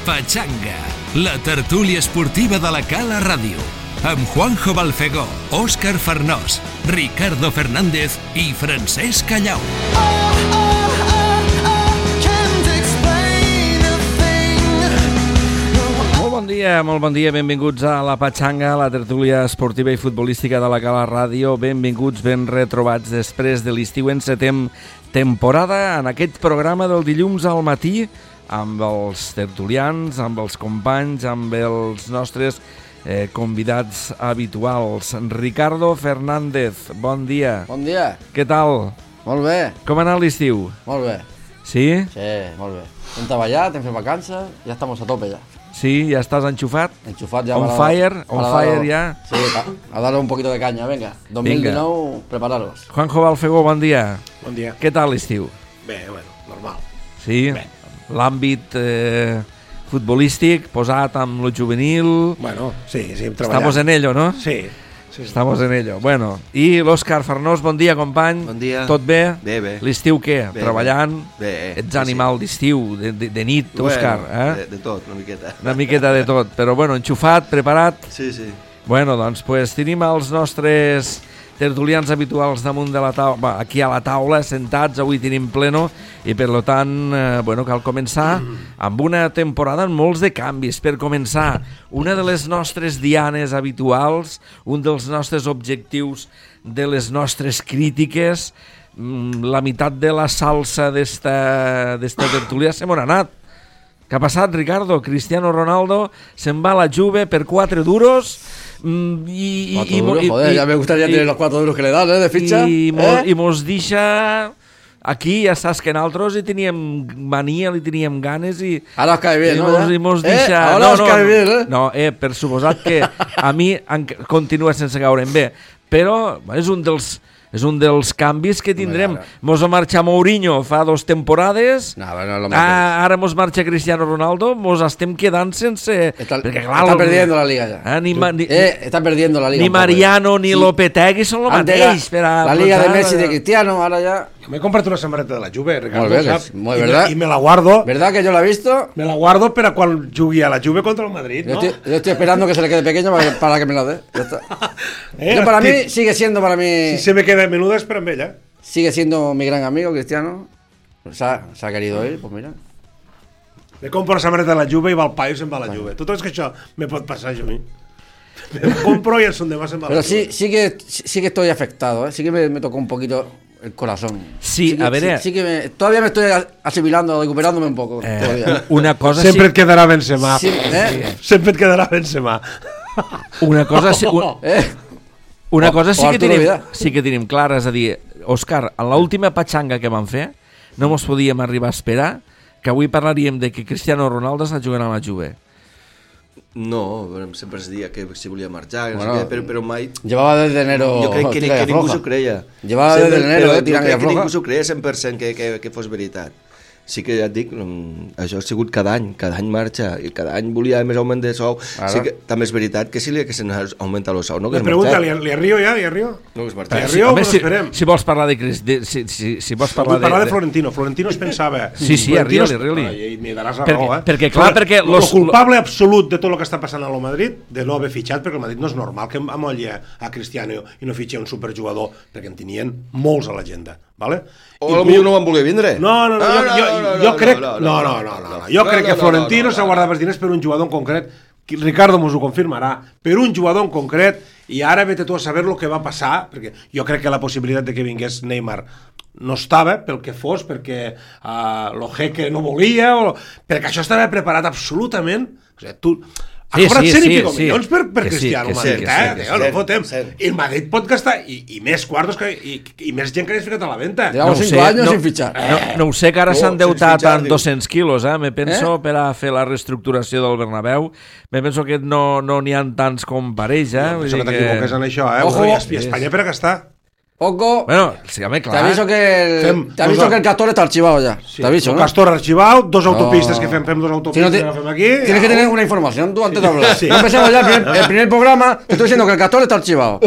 Pachanga, la tertúlia esportiva de la Cala Ràdio, amb Juanjo Balfegó, Òscar Farnós, Ricardo Fernández i Francesc Callau. Molt bon dia, benvinguts a la Pachanga, la tertúlia esportiva i futbolística de la Cala Ràdio. Benvinguts, ben retrobats després de l'estiu. Encetem temporada en aquest programa del dilluns al matí amb els tertulians, amb els companys, amb els nostres convidats habituals. Ricardo Fernández, bon dia. Bon dia. Què tal? Molt bé. Com ha anat l'estiu? Molt bé. Sí? Sí, molt bé. Hem treballat, hem fet vacances, ja estamos a tope ja. Sí, ja estàs enxufat? Enchufat ya. On fire ya. Sí, a darle un poquito de caña, venga. 2019, prepararos. Juanjo Balfegó, bon dia. Bon dia. Què tal l'estiu? Bé, bueno, normal. Sí? Bé. L'àmbit futbolístic posat amb lo juvenil. Bueno, sí, hem treballat. Estamos en ello, ¿no? Sí. Estamos en ello. Bueno, i l'Òscar Farnós, bon dia, company. Bon dia. Tot bé? Bé, bé. L'estiu què? Bé, treballant? Bé. Ets animal d'estiu, de nit, Òscar. Bueno, de tot, una miqueta. Una miqueta de tot, però bueno, enxufat, preparat? Sí, sí. Bueno, doncs tenim els nostres tertulians habituals damunt de la taula, aquí a la taula, sentats, avui tenim pleno, i per tant, cal començar amb una temporada amb molts de canvis. Per començar, una de les nostres dianes habituals, un dels nostres objectius de les nostres crítiques, la meitat de la salsa d'esta tertúlia se m'ha anat. Què ha passat, Ricardo? Cristiano Ronaldo se'n va a la Juve per 4 duros. 4 duros, joder, ya me gustaría tener los 4 duros que le dan, de ficha. I mos deixa aquí, ja saps que nosaltres hi teníem mania, li teníem ganes i... Ara os cae bien, ¿no? I mos deixa... Ahora os cae bien, ¿eh? No, per suposat que a mi continua sense caure'm bé, però és un dels canvis que tindrem. Mos va marxar Mourinho fa 2 temporades, ara mos marxa Cristiano Ronaldo, mos estem quedant sense... Está perdiendo la liga ya. Está perdiendo la liga. Ni Mariano ni Lopetegui són el mateix. La liga de Messi de Cristiano, ahora ya... Me he comprado una samarreta de la Juve, Ricardo. Muy verdad. Y me la guardo. ¿Verdad que yo la he visto? Me la guardo para cuando jugue a la Juve contra el Madrid, ¿no? Yo estoy esperando que se le quede pequeña para que me la dé. Ya está. Para mí, sigue siendo para mí... Si se me queda menuda, espera en ella. Sigue siendo mi gran amigo, Cristiano. Se ha querido ir, pues mira. Me compro una samarreta de la Juve y va al paio y se'n va a la Juve. ¿Tú crees que això me pot passar a mi? Me compro y el son de más se'n va a la Juve. Pero sí que estoy afectado, ¿eh? Sí que me tocó un poquito el corazón. Sí, a ver... todavía me estoy asimilando, recuperándome un poco. Una cosa sempre et quedarà Benzema. Sempre et quedarà Benzema. Una cosa sí que tenim clara, és a dir, Òscar, en l'última patxanga que vam fer no mos podíem arribar a esperar que avui parlaríem de que Cristiano Ronaldo està jugant a la Juve. No, sempre es dia que si volia marxar, però mai... Llevaba desde enero... Jo crec que ningú s'ho creia. Llevaba desde enero, tirant i afloja. Jo crec que ningú s'ho creia 100% que fos veritat. Sí que ja et dic, això ha sigut cada any marxa, i cada any volia més augment de sou. Sí que també és veritat que sí que se n'augmenta el sou, no? Me pregunta, ¿li arrio ja? ¿Li arrio? No, que es marxa. ¿Li arrio o esperem? Si vols parlar de si vols parlar de Florentino. Florentino es pensava... Sí, arrio-li. I me daràs la raó, eh? Perquè el culpable absolut de tot el que està passant a lo Madrid, de no haver fitxat, perquè el Madrid no és normal que amolli a Cristiano i no fitxi un superjugador, perquè en tenien molts a l'agenda, ¿vale? O potser no van voler vindre. No, jo crec... No. Jo crec que Florentino s'ha guardat els diners per un jugador en concret. Ricardo mos ho confirmarà. Per un jugador en concret, i ara vete tu a saber lo que va passar, perquè jo crec que la possibilitat de que vingués Neymar no estava, pel que fos, perquè lo Jeque no volia, perquè això estava preparat absolutament. O sigui, tu... Ha cobrat 100 i pico milions per Cristiano Madrid, no fotem. I el Madrid pot gastar, i més quartos, i més gent que hagi ficat a la venda. Llevamos 5 anys sin fichar. No ho sé, que ara s'han deutat en 200 quilos, me penso, per a fer la reestructuració del Bernabéu. Me penso que no n'hi ha tants com pareix, Penso que t'equivoques en això, Ojo, i Espanya per a gastar. Poco. Bueno, sí, clar. Te aviso que el Castor está archivado ya. Sí, te aviso, el ¿no? Castor archivado, 2 autopistas que fem 2 autopistas que fem aquí. Tienes que tener una información tú antes de hablar. Sí. No empecemos ya el primer programa, te estoy diciendo que el Castor está archivado.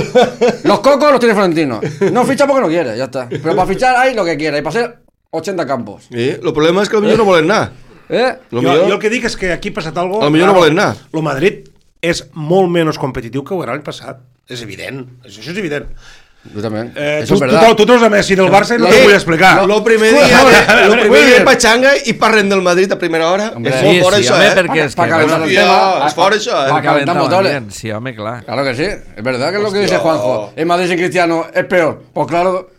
Los cocos los tiene Florentino. No ficha porque no quiere, ya está. Pero para fichar hay lo que quiera y para hacer 80 campos. El problema es que los niños no volen nada. Jo el que dic és que aquí ha passat alguna cosa... Potser no volen anar. El Madrid és molt menys competitiu que ho era l'any passat. És evident, això és evident. Justament. Tu treus a Messi del Barça i no t'ho vull explicar. Lo primer dia Pachanga i parlem del Madrid a primera hora. És molt fora això, perquè és fora això, para calentar motores. Sí, home, clar. Claro que sí. Es verdad que es lo que dice Juanjo. En Madrid sin Cristiano es peor. Pues claro,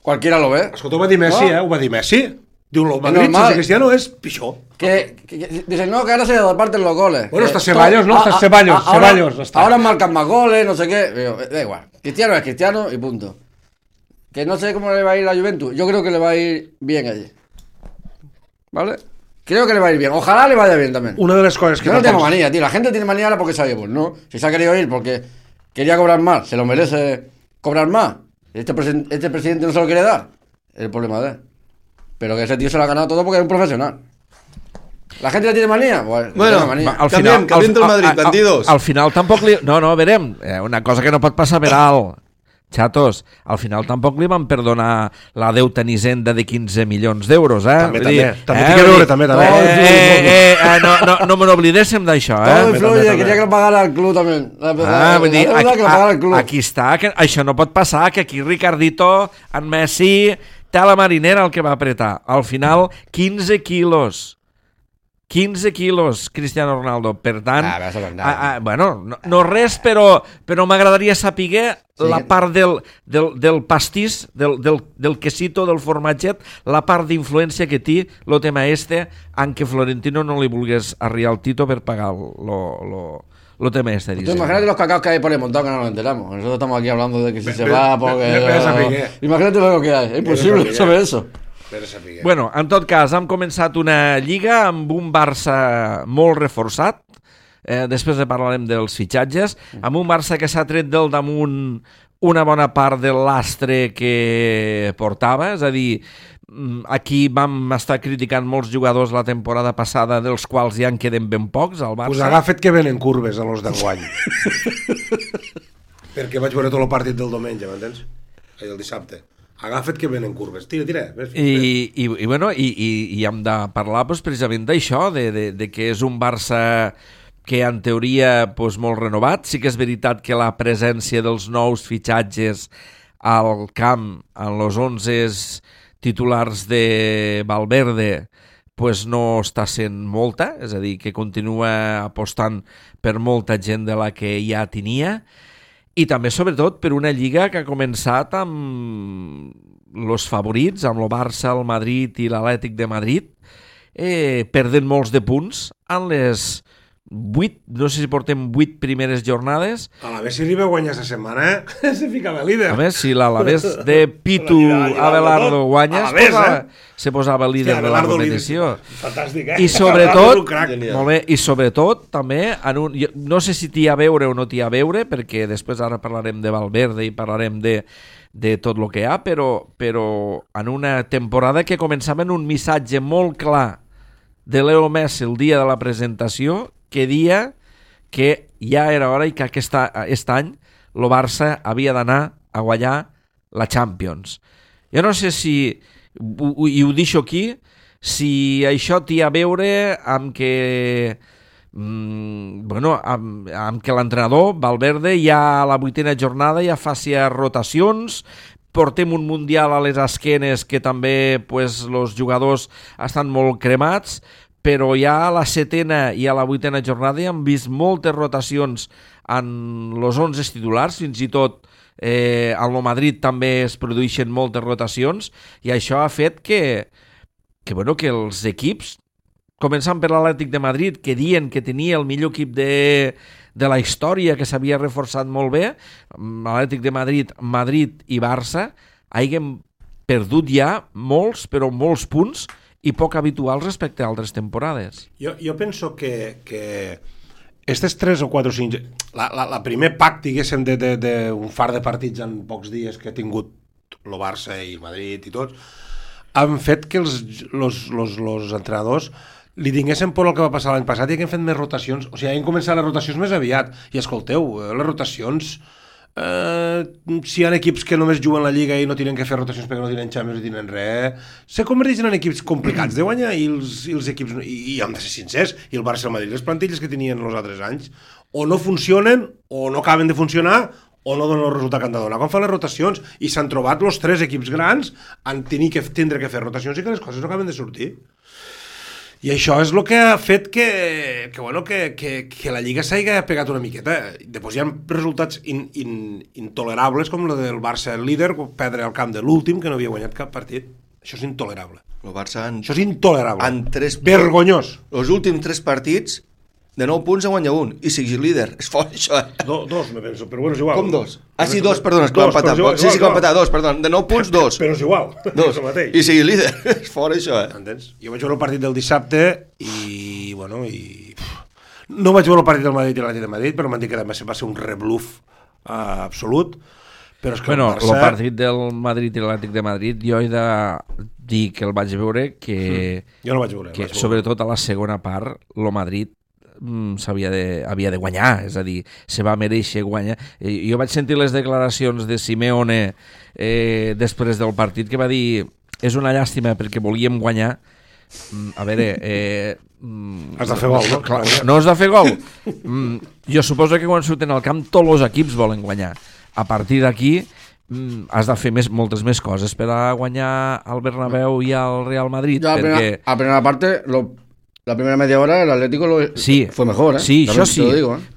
cualquiera lo ve. Escolta, ho va dir Messi, ho va dir Messi. Diu, el Madrid sense Cristiano és pitjor. Dicen, no, que ahora se reparten los goles. Bueno, está Ceballos, ¿no? Está Ceballos. Ahora marcan más goles, no sé qué. Da igual. Cristiano es Cristiano y punto. Que no sé cómo le va a ir a la Juventus. Yo creo que le va a ir bien allí. ¿Vale? Creo que le va a ir bien. Ojalá le vaya bien también. Una de las cosas que... Yo no tengo manía, tío. La gente tiene manía ahora porque sabemos, ¿no? Si se ha querido ir porque quería cobrar más, se lo merece cobrar más. Este presidente no se lo quiere dar. Es el problema de él. Pero que ese tío se lo ha ganado todo porque es un profesional. ¿La gente le tiene manía? Bueno, manía. canviem del Madrid, bandidos. Al final tampoc li... No, verem, una cosa que no pot passar per alt. Xatos, al final tampoc li van perdonar la deuta en Hisenda de 15 milions d'euros, També tinc que veure, també. No me n'oblidéssim d'això, Todo influye, quería que lo pagara el club también. Vull dir, aquí està, que això no pot passar, que aquí Ricardito, en Messi, té a la marinera el que va apretar. Al final, 15 quilos. 15 quilos, Cristiano Ronaldo. Per tant, bueno, no res, però m'agradaria saber la part del pastís, del quesito, del formatget, la part d'influència que té el tema en què Florentino no li volgués arribar al Tito per pagar lo tema dice. Imagínate los cacaos que hay por el montón que no nos enteramos. Nosotros estamos aquí hablando de que si se va, porque... Imagínate lo que hay. Es imposible saber eso. Bueno, en tot cas, hem començat una lliga amb un Barça molt reforçat, després parlarem dels fitxatges, amb un Barça que s'ha tret del damunt una bona part de l'astre que portava, és a dir, aquí vam estar criticant molts jugadors la temporada passada, dels quals ja en queden ben pocs al Barça. Pues agafa't que venen curves a los d'enguany. Perquè vaig veure tot el partit del diumenge, m'entens? El dissabte. Agafa't que venen curves, tira. I hem de parlar precisament d'això, de que és un Barça que en teoria molt renovat. Sí que és veritat que la presència dels nous fitxatges al camp, en els 11 titulars de Valverde, no està sent molta, és a dir, que continua apostant per molta gent de la que ja tenia. I també, sobretot, per una lliga que ha començat amb els favorits, amb el Barça, el Madrid i l'Atlètic de Madrid, perdent molts de punts en les 8, no sé si portem 8 primeres jornades. A l'Alavés si arriba a guanyar aquesta setmana, se ficava líder. A més, si l'Alavés de Pitu Abelardo guanya, se posava líder de la competició. Fantàstic, I sobretot, molt bé, i sobretot també, no sé si t'hi ha a veure o no t'hi ha a veure, perquè després ara parlarem de Valverde i parlarem de tot el que hi ha, però en una temporada que començava en un missatge molt clar de Leo Messi el dia de la presentació, que dia que ja era hora i que aquest any el Barça havia d'anar a guanyar la Champions. Jo no sé si, i ho deixo aquí, si això té a veure amb que amb que l'entrenador Valverde ja a la 8ª jornada ja faci rotacions, portem un Mundial a les esquenes que també els jugadors estan molt cremats, però ja a la 7ª i a la 8ª jornada ja hem vist moltes rotacions en els 11 titulars, fins i tot al Madrid també es produeixen moltes rotacions, i això ha fet que els equips, començant per l'Atlètic de Madrid, que diuen que tenia el millor equip de la història, que s'havia reforçat molt bé, l'Atlètic de Madrid i Barça, hagin perdut ja molts, però molts punts, i poc habituals respecte a altres temporades. Jo penso que aquestes 3 o 4 o 5... La primer pack, diguéssim, d'un far de partits en pocs dies que ha tingut el Barça i el Madrid i tots, han fet que els entrenadors li tinguessin por el que va passar l'any passat i que han fet més rotacions, o sigui, han començat les rotacions més aviat, i escolteu, les rotacions si hi ha equips que només juguen la Lliga i no tenen que fer rotacions perquè no tenen Champions i tenen res, se converteixen en equips complicats de guanyar i els equips, i hem de ser sincers, i el Barça i el Madrid, les plantilles que tenien els altres anys, o no funcionen, o no acaben de funcionar, o no donen el resultat que han de donar. Com fan les rotacions, i s'han trobat els 3 equips grans en tindre que fer rotacions i que les coses no acaben de sortir. I això és el que ha fet que la Lliga s'hagi pegat una miqueta. Després hi ha resultats intolerables, com el del Barça líder, perdre al camp de l'últim, que no havia guanyat cap partit. Això és intolerable. El Barça això és intolerable. Vergonyós. Els últims 3 partits, de 9 punts a guanyar 1, i sigui líder. És fort, això, Dos, me penso, però bueno, és igual. Com 2? Ah, sí, 2, perdona, és que va empatar. Sí, que va empatar, 2, perdona. De 9 punts, 2. Però és igual. 2. I sigui líder. És fort, això, Entens? Jo vaig veure el partit del dissabte i, bueno, no vaig veure el partit del Madrid i l'Atlètic de Madrid, però m'han dit que va ser un rebluf absolut. Però és que el partit del Madrid i l'Atlètic de Madrid jo he de dir que el vaig veure jo no vaig veure. Que sobretot a la segona part el Madrid havia de guanyar, és a dir, se va mereixer guanyar. Jo vaig sentir les declaracions de Simeone després del partit que va dir és una llàstima perquè volíem guanyar. A veure, has de fer gol, no? Clar, no has de fer gol. Jo suposo que quan surten al camp tots els equips volen guanyar. A partir d'aquí has de fer moltes més coses per a guanyar al Bernabéu i al Real Madrid. A la primera parte la primera media hora el Atlético fue mejor, Sí, això sí,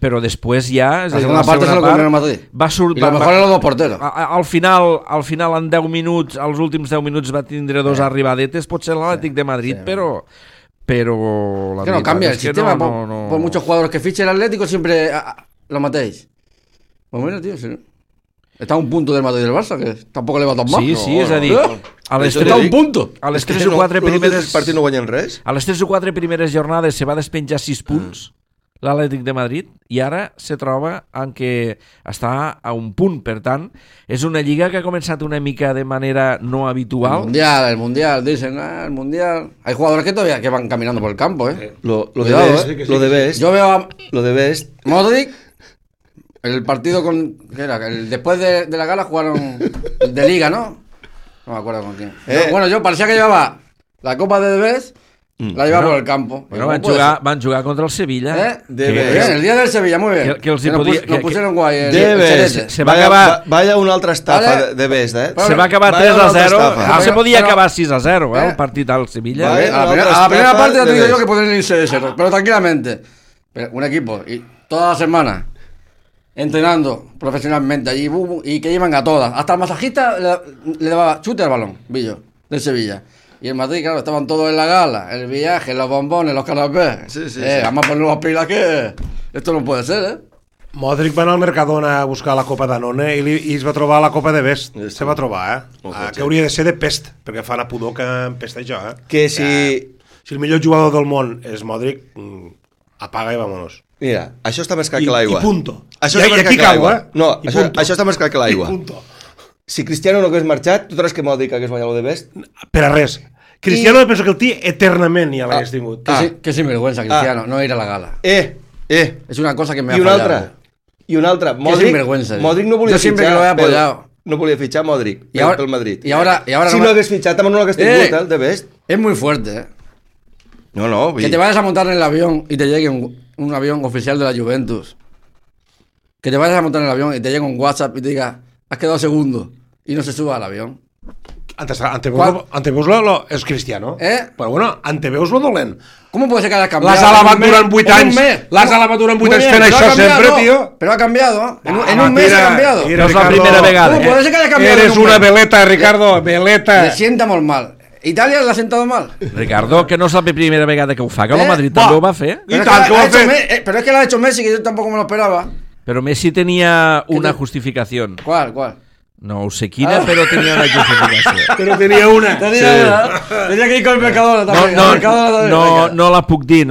però després ja... La segona part és el que el Madrid. I lo mejor eren los porteros. Al final, en 10 minuts, als últims 10 minuts va tindre 2 arribadetes, potser l'Atlètic de Madrid, però la que no cambia el sistema. Por muchos jugadores que fiche el Atlético siempre lo matéis. Pues mira, tío, está a un punto del Madrid y del Barça, que tampoco le va tan mal. Sí, és a dir, a les 3 o 4 primeres partits no guanyen res. A les 3 o 4 primeres jornades se va despenjar 6 punts l'Atlètic de Madrid i ara se troba en què està a un punt. Per tant, és una lliga que ha començat una mica de manera no habitual. El Mundial, dicen, el Mundial. Hay jugadores que todavía que van caminando por el campo, Lo de Best. Yo veo a Modric. El partido ¿qué era? Después de la gala jugaron de liga, ¿no? No me acuerdo con quién. Bueno, yo parecía que llevaba la Copa de Best, la llevaba por el campo. Bueno, van jugar contra el Sevilla. Bien, el día del Sevilla, muy bien. Que nos pusieron guay. Se va acabar... Vaya una altra estafa de Best, Se va acabar 3-0. Se podia acabar 6-0, el partit al Sevilla. A la primera parte ya te digo yo que podrían irse de 0, pero tranquilamente. Un equipo, y toda la semana entrenando profesionalmente allí y que llevan a todas. Hasta el masajista le daba chute al balón, Villo, del Sevilla. Y el Madrid, claro, estaban todos en la gala, el viaje, los bombones, los canapés. Sí. Vamos a poner las pilas que esto no puede ser, Modric va anar al Mercadona a buscar la Copa Danone i es va trobar la Copa de Best. Se va trobar, que hauria de ser de pest, perquè fa una pudor que empesta això, Que si el millor jugador del món és Modric, apaga i vámonos. Mira, això està més clar que l'aigua. I punto. Això I aquí cau, No, això està més clar que l'aigua. Si Cristiano no hagués marxat, tu creus que Modric hagués guanyat el de Best? Per a res. Cristiano penso que el tio eternament ja l'hagués tingut. Que sinvergüenza, Cristiano, no ir a la gala. És una cosa que me ha fallado. I una altra. Modric no volia fitxar. No volia fitxar Modric pel Madrid. Y ahora si no hagués fitxat, també no l'hagués tingut, el de Best. Es muy fuerte, No. Que te vayas a montar en el avión y te llegue un avión oficial de la Juventus. Que te vayas a montar en el avión y te llegue un WhatsApp y te diga, has quedado segundo, y no se suba al avión. Anteveus-lo és Cristiano. Però bueno, anteveus lo dolent. ¿Cómo puede ser que haya cambiado? L'has alabat durant 8 anys. L'has alabat durant 8 anys fent això sempre, tío. Pero ha cambiado, en un mes ha cambiado. No és la primera vegada. ¿Cómo puede ser que haya cambiado? Eres una veleta, Ricardo, veleta. Le sienta molt mal. Italia l'ha sentado mal. Ricardo, que no és la primera vegada que ho fa, que el Madrid també ho va fer. I tant que ho ha fet. Pero es que lo ha hecho Messi, que yo tampoco me lo esperaba. Pero Messi tenía una justificación. ¿Cuál? No ho sé quina, però tenia una justificació. Però tenia una. Tenia que ir con el Mercadona també. No la puc dir,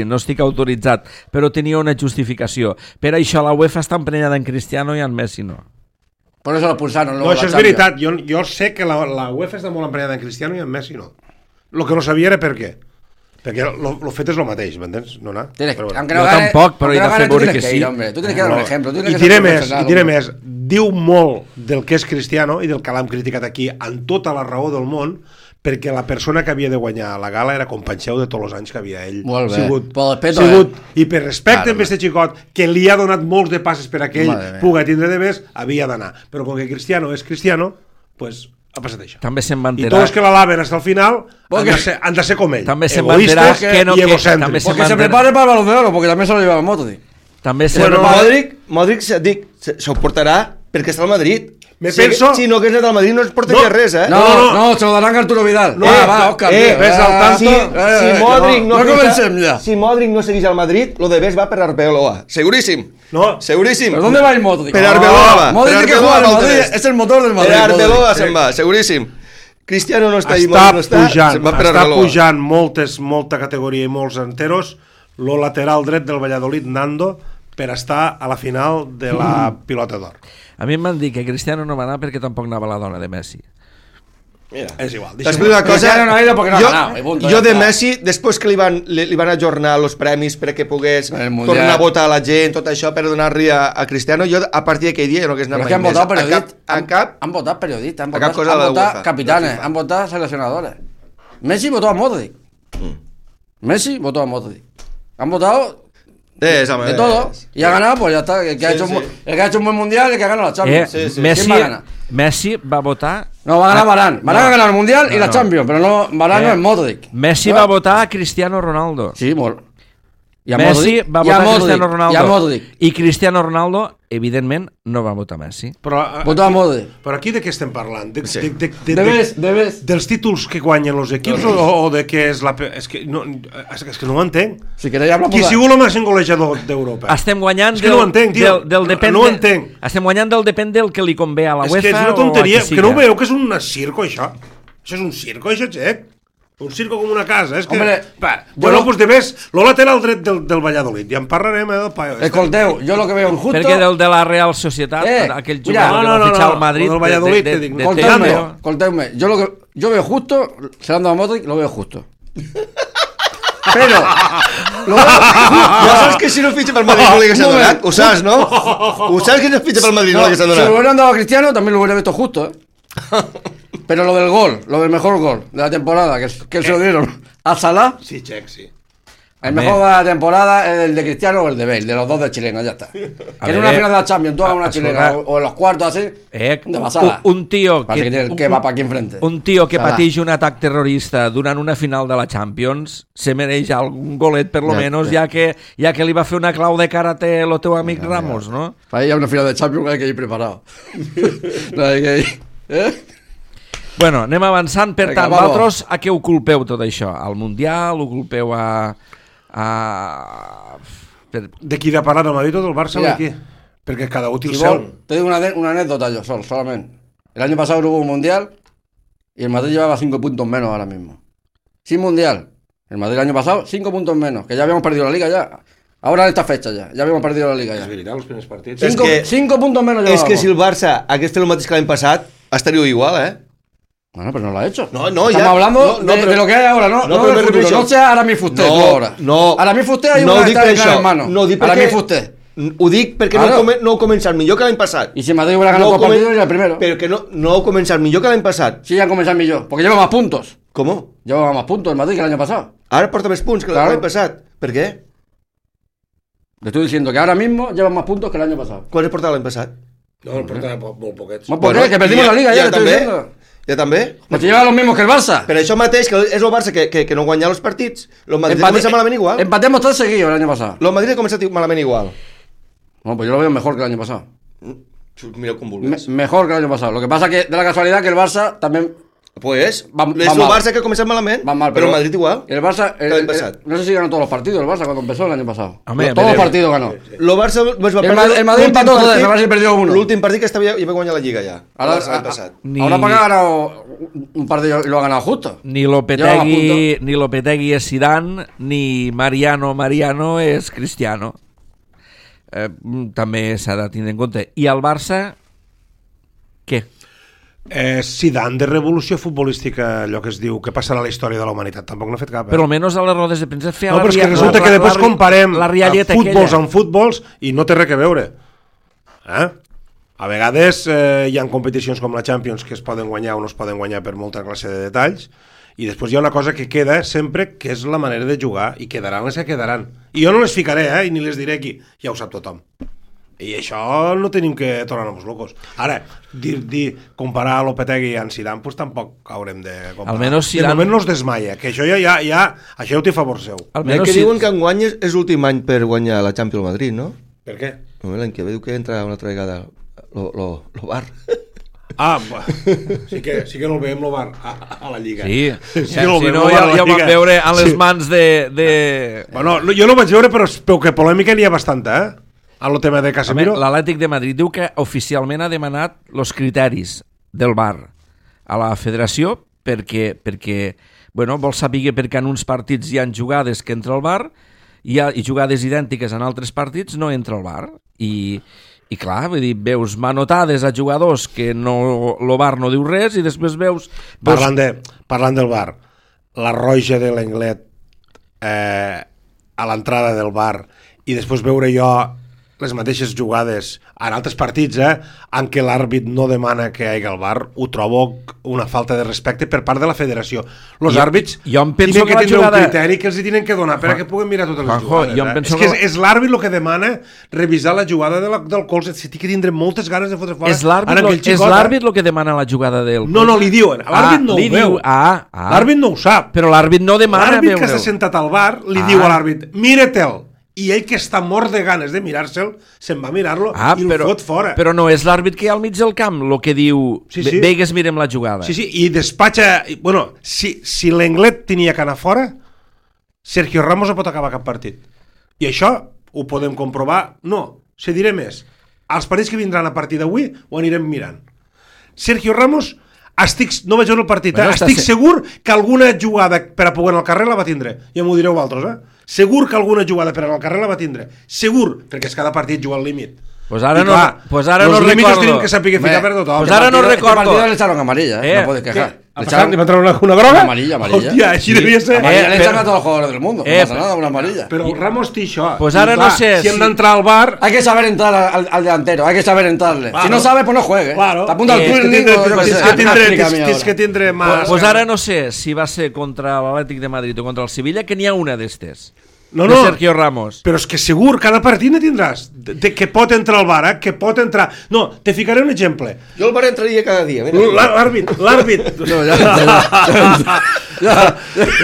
no estic autoritzat, però tenia una justificació. Per això la UEFA està emprenyada en Cristiano i en Messi no. Por eso lo expulsaron. No, això és veritat. Jo sé que la UEFA està molt emprenyada en Cristiano i en Messi no. Lo que no sabia era per què. Perquè el fet és el mateix, m'entens? No anar. Jo tampoc, però he de fer veure que sí. Tu tienes que dar un ejemplo. I diré més, diu molt del que és Cristiano i del que l'hem criticat aquí amb tota la raó del món, perquè la persona que havia de guanyar la gala era companxeu de tots els anys que havia ell sigut, i per respecte amb aquest xicot que li ha donat molts de passes per a que ell pugui tindre de més, havia d'anar, però com que Cristiano és Cristiano, pues ha passat això. També se'n van i tots que l'alaven fins al final han de ser com ell, egoistes i egocèntrics, porque se prepare para el Balón de Oro, porque també se lo lleva el Modric. Modric s'ho portarà perquè està al Madrid. Si no hagués anat al Madrid no es portaria res, eh? No, se lo darán a Arturo Vidal. Va, Òscar. Si Modric no seguís al Madrid, lo de Bes va per Arbeloa. Seguríssim. Seguríssim. ¿Pero dónde va el Modric? Per Arbeloa va. Modric que juega al Madrid es el motor del Madrid. Per Arbeloa se'n va, seguríssim. Cristiano no està està pujant molta categoria i molts enteros lo lateral dret del Valladolid, Nando, per estar a la final de la Pilota d'Or. A mi em van dir que Cristiano no va anar perquè tampoc anava la dona de Messi. Mira, és igual. Jo de Messi, després que li van ajornar els premis perquè pogués tornar a votar a la gent, tot això per donar-li a Cristiano, jo a partir d'aquell dia no hagués anat mai més. Han votat periodistes, han votat capitanes, han votat seleccionadores. Messi votó a Modric. Messi votó a Modric. Han votado de todo. Y ha ganado, pues ya está. El que ha hecho un buen mundial, el que ha ganado la Champions. Messi va votar... No, va a ganar Varane. Varane ha ganado el mundial y la Champions, pero no, Varane no es Modric. Messi va votar a Cristiano Ronaldo. Sí, Messi va votar a Cristiano Ronaldo. I Cristiano Ronaldo, evidentment, no va votar Messi. Votó a Modric. Però aquí de què estem parlant? Dels títols que guanyen els equips o de què és la... És que no ho entenc. Qui ha sigut el màxim golejador d'Europa? Estem guanyant del depèn del que li convé a la UEFA. És que és una tonteria, que no ho veieu que és un circo, això? Això és un circo, això, xec? Un circo com una casa, és que... Bueno, pues de més, lo lateral dret del Valladolid, ja en parlarem del paio. Escolteu, jo lo que veo injusto... Perquè del de la Real Societat, aquell jugador que va fitxar al Madrid... del Valladolid, te dic. Escolteu-me, jo lo que yo veo justo, se dando a Modric, lo veo justo. Pero... Ja saps que si no fitxa pel Madrid no li hagués donat? Ho saps, no? Ho saps que si no fitxa pel Madrid no li hagués donat? Si lo hubieran dado a Cristiano, también lo hubiera visto justo, Pero lo del gol, lo del mejor gol de la temporada, que se lo dieron a Salah. Sí, check, sí. El mejor de la temporada es el de Cristiano o el de Bale, de los dos de chilena, ya está. Que en una final de la Champions tú hagas una chilena o en los cuartos así, de pasada. Un tío que va para aquí enfrente. Un tío que pateix un atac terrorista durant una final de la Champions se mereix algun golet, per lo menos, ja que li va fer una clau de karate el teu amic Ramos, no? Para ir a una final de Champions hay que ir preparado. No hay que ir... Bueno, anem avançant. Per tant, vosaltres a què ho culpeu tot això? Al Mundial? Ho culpeu de qui de parar el Madrid o del Barça o de qui? Perquè cada útil seu. Te digo una anécdota yo solamente. El año pasado hubo un Mundial y el Madrid llevaba 5 puntos menos ahora mismo. Sin Mundial. El Madrid el año pasado 5 puntos menos, que ya habíamos perdido la Liga ya. Ahora en esta fecha ya habíamos perdido la Liga ya. És veritat, els primers partits. 5 puntos menos llevábamos. És que si el Barça hagués fet el mateix que l'any passat, estaria igual, Bueno, pero no lo ha hecho. Estamos hablando de lo que hay ahora, no del futuro. No sea Aramis Fuster, ahora. Aramis Fuster hay una que está en mano. Aramis Fuster. Ho dic perquè no ho començat millor que l'any passat. Y si Madrid hubiera ganado 2 partidos, era el primero. Pero que no ho començat millor que l'any passat. Sí, han comenzado millor, porque lleva más puntos. ¿Cómo? Lleva más puntos el Madrid que el año pasado. Ahora porta més punts que l'any passat. Per què? Le estoy diciendo que ahora mismo lleva más puntos que el año pasado. Quants portava l'any passat? No, el portava molt poquets. Molt poquets, que perdimos la Liga, ya te estoy diciendo. Ja també? Pues te lleva los mismos que el Barça. Per això mateix, que és el Barça que no guanya els partits. El Madrid comença malament igual. Empatemos todos seguidos el año pasado. El Madrid ha començat malament igual. No, pues yo lo veo mejor que el año pasado. Mira com vulguis. Mejor que el año pasado. Lo que pasa que de la casualidad que el Barça también... Pues, és el Barça que ha començat malament, però el Madrid igual. El Barça, no sé si ganó todos los partidos el Barça cuando empezó el año pasado. Todos los partidos ganó. El Barça el Madrid empató, el Barça perdió uno. L'últim partit que estava ja va guanyar la Lliga ja. Ahora para ha ganado un partido y lo ha ganado justo. Ni Lopetegui és Zidane, ni Mariano és Cristiano. També s'ha de tindre en compte. I el Barça, què? Zidane de revolució futbolística, allò que es diu que passarà a la història de la humanitat, tampoc n'ha fet cap. Però almenys a les rodes de premsa feia no, però és que resulta que després comparem futbols amb futbols i no té res a veure. A vegades hi ha competicions com la Champions que es poden guanyar o no es poden guanyar per molta classe de detalls, i després hi ha una cosa que queda sempre, que és la manera de jugar, i quedaran les que quedaran. I jo no les ficaré, i ni les diré aquí, ja ho sap tothom. I això no tenim que tornar-nos locos. Ara, comparar a Lopetegui i a Zidane, doncs tampoc haurem de comparar. Almenys Zidane... De moment no es desmaia, que això ja això ho té a favor seu. Almenys que diuen que enguany és l'últim any per guanyar la Champions Madrid, no? Per què? L'any que ve diu que entra una altra vegada lo bar. Sí que no el veiem el bar a la Lliga. Sí, si no ja ho vam veure a les mans de... Bueno, jo no ho vaig veure, però que polèmica n'hi ha bastanta, a lo tema de Casemiro. L'Atlètic de Madrid diu que oficialment ha demanat els criteris del VAR a la federació perquè vol saber perquè en uns partits hi ha jugades que entra el VAR i jugades idèntiques en altres partits no entra el VAR i clar, vull dir, veus manotades a jugadors que el VAR no diu res i després veus... Parlant del VAR, la roja de l'Englet a l'entrada del VAR i després veure jo les mateixes jugades en altres partits en què l'àrbit no demana que hi hagi el VAR, ho trobo una falta de respecte per part de la federació. Els àrbits tenen que tindre un criteri que els hi tenen que donar perquè puguin mirar totes les jugades. És que és l'àrbit el que demana revisar la jugada del colze, si té que tindre moltes ganes de fotre fora. És l'àrbit el que demana la jugada del colze? No, li diuen, l'àrbit no ho veu. L'àrbit no ho sap. Però l'àrbit no demana veure-ho. L'àrbit que s'ha sentat al VAR li diu a l'àrbit, mira-te'l. I ell que està mort de ganes de mirar-se'l se'n va mirar-lo i el fot fora. Però no és l'àrbit que hi ha al mig del camp el que diu, veigues, mirem la jugada. Sí, i despatxa... Bueno, si l'Englet tenia que anar fora, Sergio Ramos no pot acabar cap partit. I això ho podem comprovar. No, se diré més. Els partits que vindran a partir d'avui ho anirem mirant. Sergio Ramos, no vaig veure el partit, estic segur que alguna jugada per a poder anar al carrer la va tindre. Ja m'ho direu vosaltres, Segur que alguna jugada per anar al carrer la va tindre. Segur, perquè és cada partit juga al límit. Pues ara no recordo. Els límits tenim que saber ficar per tothom. Pues ara no recordo. Este partido le echaron amarilla, no puedes quejar. ¿Le entraron una groga? Amarilla. Hostia, així devia ser. Amarilla le echan a todos los jugadores del mundo. No pasa nada, una amarilla. Pero Ramos té això. Pues ara no sé. Si hem d'entrar al bar... Hay que saber entrar al delantero, hay que saber entrarle. Si no sabe, pues no juegue. Claro. Te apunta al Twirling o yo qué sé. Tens que tindre más... Pues ara no sé si va ser contra l'Atlètic de Madrid o contra el Sevilla, que n'hi ha una d'estes. No, de Sergio Ramos. Però és que segur, cada partit ne tindràs. Que pot entrar al bar, que pot entrar... No, te ficaré un exemple. Jo al bar entraria cada dia. L'àrbit. No, ja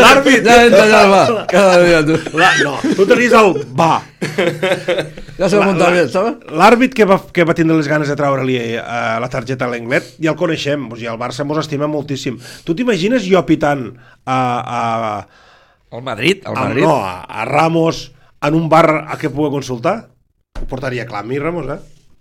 L'àrbit. Ja entra ja al bar, cada dia, tu. No, tu tenies el va. Ja se va muntar bé, saps? L'àrbit que va tindre les ganes de treure-li la targeta a l'Englet, ja el coneixem, i el Barça mos estima moltíssim. Tu t'imagines jo pitant al Madrid? No, a Ramos en un bar a què pugui consultar? Ho portaria clar a mi, Ramos,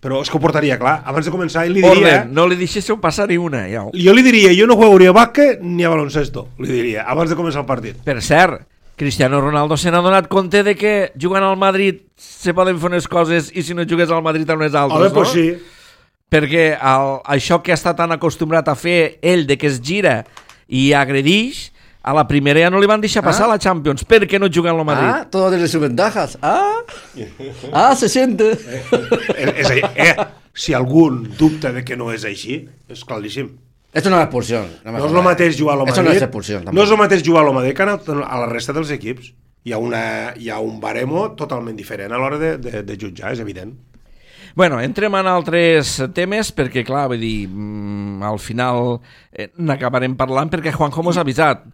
Però és que ho portaria clar. Abans de començar, ell li diria... no li deixéssiu passar ni una, ja. Jo li diria, jo no jugaria a bàsquet ni a baloncesto, li diria, abans de començar el partit. Per cert, Cristiano Ronaldo se n'ha donat compte de que jugant al Madrid se poden fer unes coses i si no jugués al Madrid a unes altres, no? Pues sí. Perquè això que està tan acostumbrat a fer ell, de que es gira i agredix, a la primera ja no li van deixar passar la Champions perquè no juguen al Madrid. Todo tiene sus ventajas. Se siente. Si algun dubta de que no és així, és claríssim. Esto no es expulsión. No és el mateix jugar al Madrid. Eso no es expulsión. No és el mateix jugar al Madrid que a la resta dels equips. Hi ha un baremo totalment diferent a l'hora de jutjar, és evident. Bueno, entrem en altres temes perquè, clar, vull dir, al final n'acabarem parlant perquè Juanjo mos ha avisat.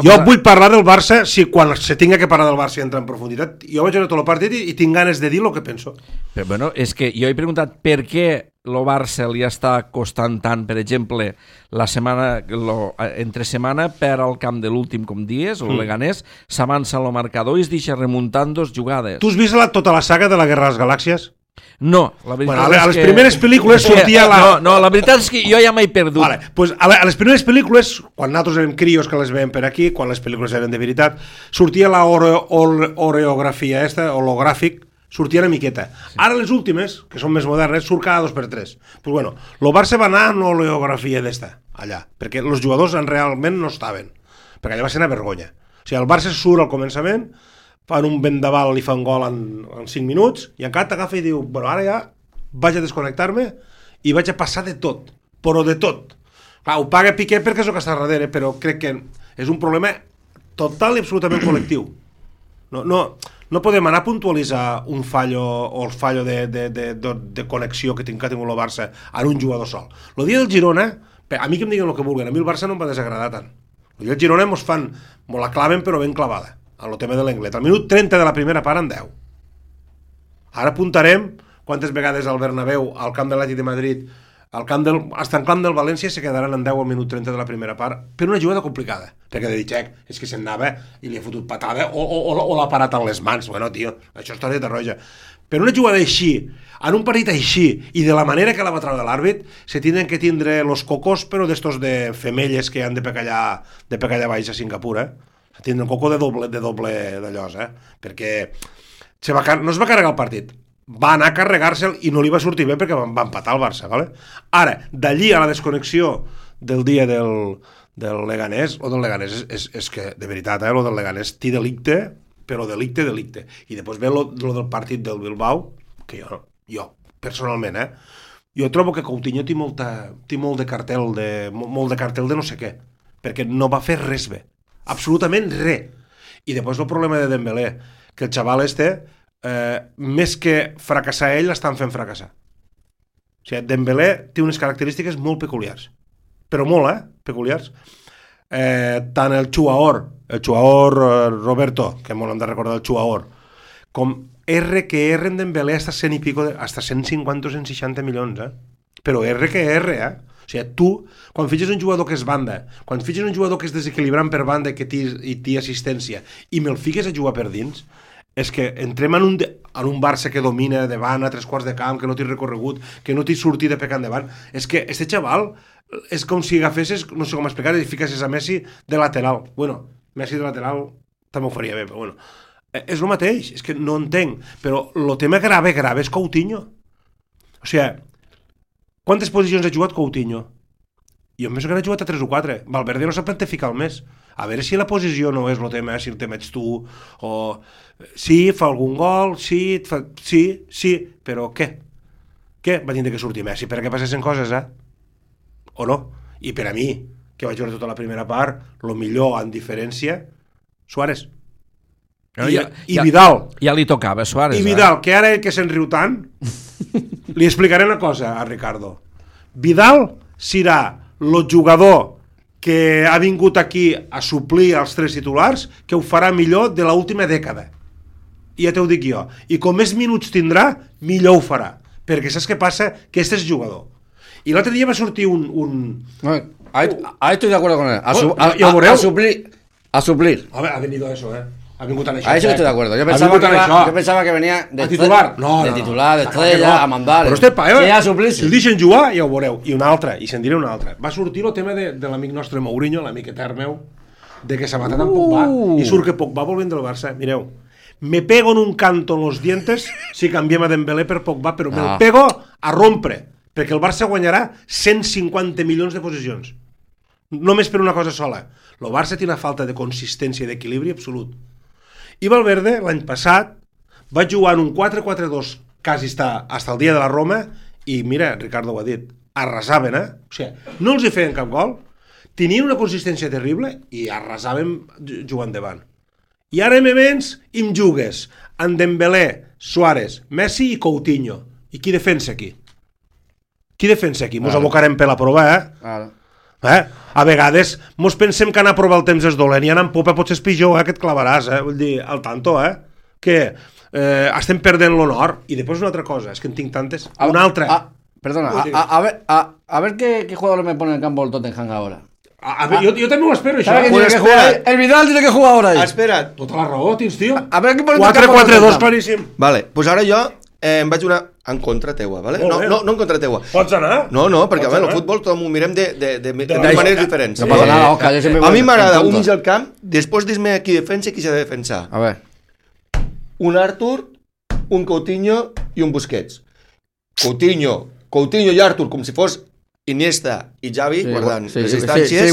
Jo vull parlar del Barça, quan se tinga que parlar del Barça i entrar en profunditat. Jo vaig veure tot el partit i tinc ganes de dir el que penso. Però, bueno, és que jo he preguntat per què el Barça li està costant tant, per exemple, la setmana, entre setmana per al camp de l'últim, com dies, o Leganés, s'avança el marcador i es deixa remuntant 2 jugades. Tu has vist tota la saga de la Guerra de les Galàxies? No, la veritat és que... A les primeres pel·lícules sortia la... No, la veritat és que jo ja m'he perdut. Pues a les primeres pel·lícules, quan nosaltres érem crios que les veiem per aquí, quan les pel·lícules eren de veritat, sortia la oreografia hologràfic, sortia una miqueta. Ara les últimes, que són més modernes, surt cada 2x3. Pues bueno, el Barça va anar amb l'oleografia d'esta, allà, perquè els jugadors realment no estaven, perquè allà va ser una vergonya. O sigui, el Barça surt al començament, fan un vendaval i fan gol en 5 minuts, i encara t'agafa i diu, bueno, ara ja vaig a desconnectar-me i vaig a passar de tot, però de tot. Clar, ho paga Piqué perquè és el que està darrere, però crec que és un problema total i absolutament col·lectiu. No podem anar a puntualitzar un fallo o el fallo de connexió que ha tingut el Barça en un jugador sol. El dia del Girona, a mi que em diguin el que vulguin, a mi el Barça no em va desagradar tant. El dia del Girona mos la claven però ben clavada, en el tema de l'Englet. Al minut 30 de la primera part en 10. Ara apuntarem quantes vegades al Bernabéu, al camp de l'Atlètic de Madrid, hasta en camp del València se quedaran en 10 al minut 30 de la primera part per una jugada complicada, perquè de Ditxec és que se'n anava i li ha fotut patada o l'ha parat amb les mans. Bueno, tio, això és targeta roja. Per una jugada així, en un partit així i de la manera que la va treure l'àrbit, se tenen que tindre los cocos, però d'estos de femelles que han de pecallar baix a Singapur, se tindre un coco de doble d'allòs, perquè no es va carregar el partit, va anar a carregar-se'l i no li va sortir bé perquè va empatar el Barça, ¿vale? Ara, d'allí a la desconnexió del dia del Leganés, o del Leganés és que, de veritat, lo del Leganés té delicte, però delicte. I després ve lo del partit del Bilbao, que jo personalment, jo trobo que Coutinho té molt de cartel de no sé què, perquè no va fer res bé, absolutament res. I després el problema de Dembélé, que el xaval més que fracassar ell, l'estan fent fracassar. O sigui, Dembélé té unes característiques molt peculiars, però molt, peculiars. Tant el Chuaor Roberto, que molt hem de recordar el Chuaor, com R en Dembélé hasta 100 i pico, hasta 150 o 160 milions, però o sigui, tu, quan fitxes un jugador que és banda, quan fitxes un jugador que és desequilibrant per banda i té assistència, i me'l fiques a jugar per dins, és que entrem en un Barça que domina davant a 3/4 de camp, que no té recorregut, que no té sortida pecant davant. És que este xaval és com si agafessis, no sé com explicar, i ficassis a Messi de lateral. Bueno, Messi de lateral també ho faria bé, però bueno. És el mateix, és que no entenc. Però el tema grave és Coutinho. O sigui, quantes posicions ha jugat Coutinho? Jo em penso que n'ha jugat a 3 o 4. Valverde no sap plantificar el més. A veure si la posició no és el tema, si el tema ets tu, o sí, fa algun gol, sí, però què? Què va tindre que sortir Messi? Per a què passessin coses, O no? I per a mi, que vaig veure tota la primera part, el millor en diferència, Suárez. I Vidal. Ja li tocava, Suárez. I Vidal, que ara que se'n riu tant, li explicaré una cosa a Ricardo. Vidal serà el jugador que ha vingut aquí a suplir els 3 titulars, que ho farà millor de l'última dècada. I ja t'ho dic jo. I com més minuts tindrà, millor ho farà. Perquè saps què passa? Que este és jugador. I l'altre dia va sortir un... Ahí estoy de acuerdo con él. A suplir. A ver, ha venido eso, Ha vingut a això. A eso estoy de acuerdo. Yo pensaba que venía de titular. De titular, de estrella, a mandar. Però a suplir. Si el deixen jugar, ja ho veureu. I una altra, i se'n diré una altra. Va sortir el tema de l'amic nostre Mourinho, l'amic etern meu, de que s'ha matat amb Pogba, i surt que Pogba volvent del Barça. Mireu, me pego en un canto en los dientes si canviem a Dembélé per Pogba, però me pego a rompre, perquè el Barça guanyarà 150 milions de posicions. Només per una cosa sola. El Barça té una falta de consistència i d'equilibri absolut. I Valverde, l'any passat, va jugar en un 4-4-2 quasi fins el dia de la Roma i, mira, Ricardo ho ha dit, arrasaven, O sigui, no els hi feien cap gol, tenien una consistència terrible i arrasaven jugant davant. I ara me vens i em jugues en Dembélé, Suárez, Messi i Coutinho. I qui defensa aquí? Mos abocarem per la prova, A vegades mos pensem que anar a provar el temps és dolent i anar en popa potser és pitjor, que et clavaràs, Vull dir, al tanto, Que estem perdent l'honor. I després una altra cosa, és que en tinc tantes. Una altra. Perdona, a ver qué jugador me pone en el campo el Tottenham ahora. A ver, yo también lo espero, això. El Vidal tiene que jugar ahora ahí. Espera. Tota la raó, tens, tio. A ver qué pone 4-4-2, claríssim. Vale, pues ara jo em vaig una en contra teua, vale? No en contra teua. Pots anar? No, perquè el futbol tot m'ho mirem de maneres diferents. No passa nada, Òscar. A mi m'agrada un mig al camp, després dis-me qui defensa i qui s'ha de defensar. A ver. Un Artur un Coutinho i un Busquets. Coutinho i Artur, com si fos Iniesta i Xavi, guardant les distàncies,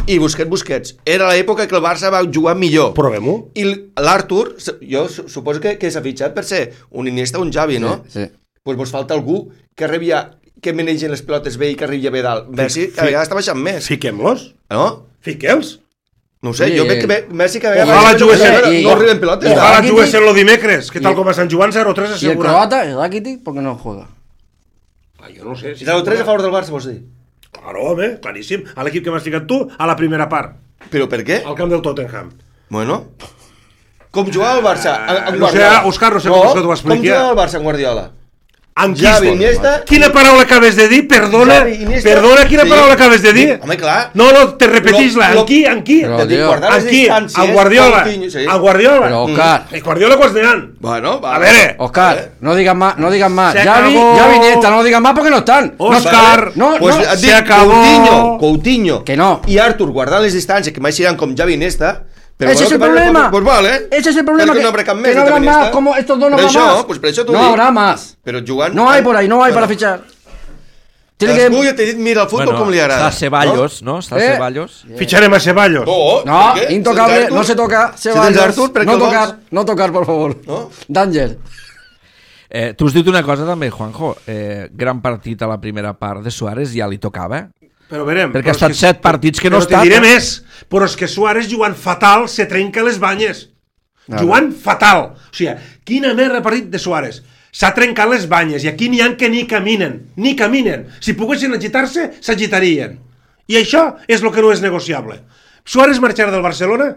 i Busquets. Era l'època que el Barça va jugar millor. Provem-ho. I l'Artur, jo suposo que s'ha fitxat per ser un Iniesta o un Xavi, no? Sí. Pues vos falta algú que manegen les pilotes bé i que arribi bé dalt. Messi cada vegada està baixant més. Fiquem-los. No? Fique'ls. No ho sé, jo veig que Messi cada vegada... Ojalà jugués no arriben pilotes. Ojalà jugués en lo dimecres, que tal com a Sant Joan 0-3 ¿Y el croata, el Rakitic, por qué no juega? Jo no sé. Si 0-3 a favor del Barça, vols dir? Claro, home, claríssim. A l'equip que m'has ficat tu, a la primera part. Però per què? Al camp del Tottenham. Bueno, com jugava el Barça amb no sé, Guardiola? Òscar, no sé com t'ho expliqui. Com jugava el Barça amb Guardiola? Amb Xavi, Iniesta... Quina paraula acabes de dir? Perdona, quina paraula acabes de dir? Home, clar. No, te repetís-la. Amb qui? Però, tio, amb qui? Amb Guardiola. Amb Guardiola. Pero, Oscar... Guardiola quants n'hi ha? Bueno, va. A veure. Oscar, no digas más. Se Xavi, Iniesta, no digas más porque no están. Oscar, se acabó. Coutinho que no. I Artur guardant les distàncies, que mai seran com Xavi i Iniesta. Ese es el problema. Pues vale. Ese es el problema. Que no habrá que no habrá más. Como estos dos no habrá más. Pues por eso tú no habrá más. Pero jugant... No hay por ahí, no hay para fichar. Tiene que... Jo t'he dit, mira el futbol com li agrada. Està Ceballos, no? Està Ceballos. Ficharem a Ceballos. No, intocable, no se toca. Ceballos, no tocar, por favor. Danger. Tu has dit una cosa també, Juanjo. Gran partit a la primera part de Suárez, ja li tocava. Però verem, perquè ha estat 7 partits que no està. Però te diré més, però és que Suárez jugant fatal se trenca les banyes. Jugant fatal. O sigui, quina merda partit de Suárez. S'ha trencat les banyes i aquí n'hi ha que ni caminen. Si poguessin agitar-se, s'agitarien. I això és el que no és negociable. Suárez marxarà del Barcelona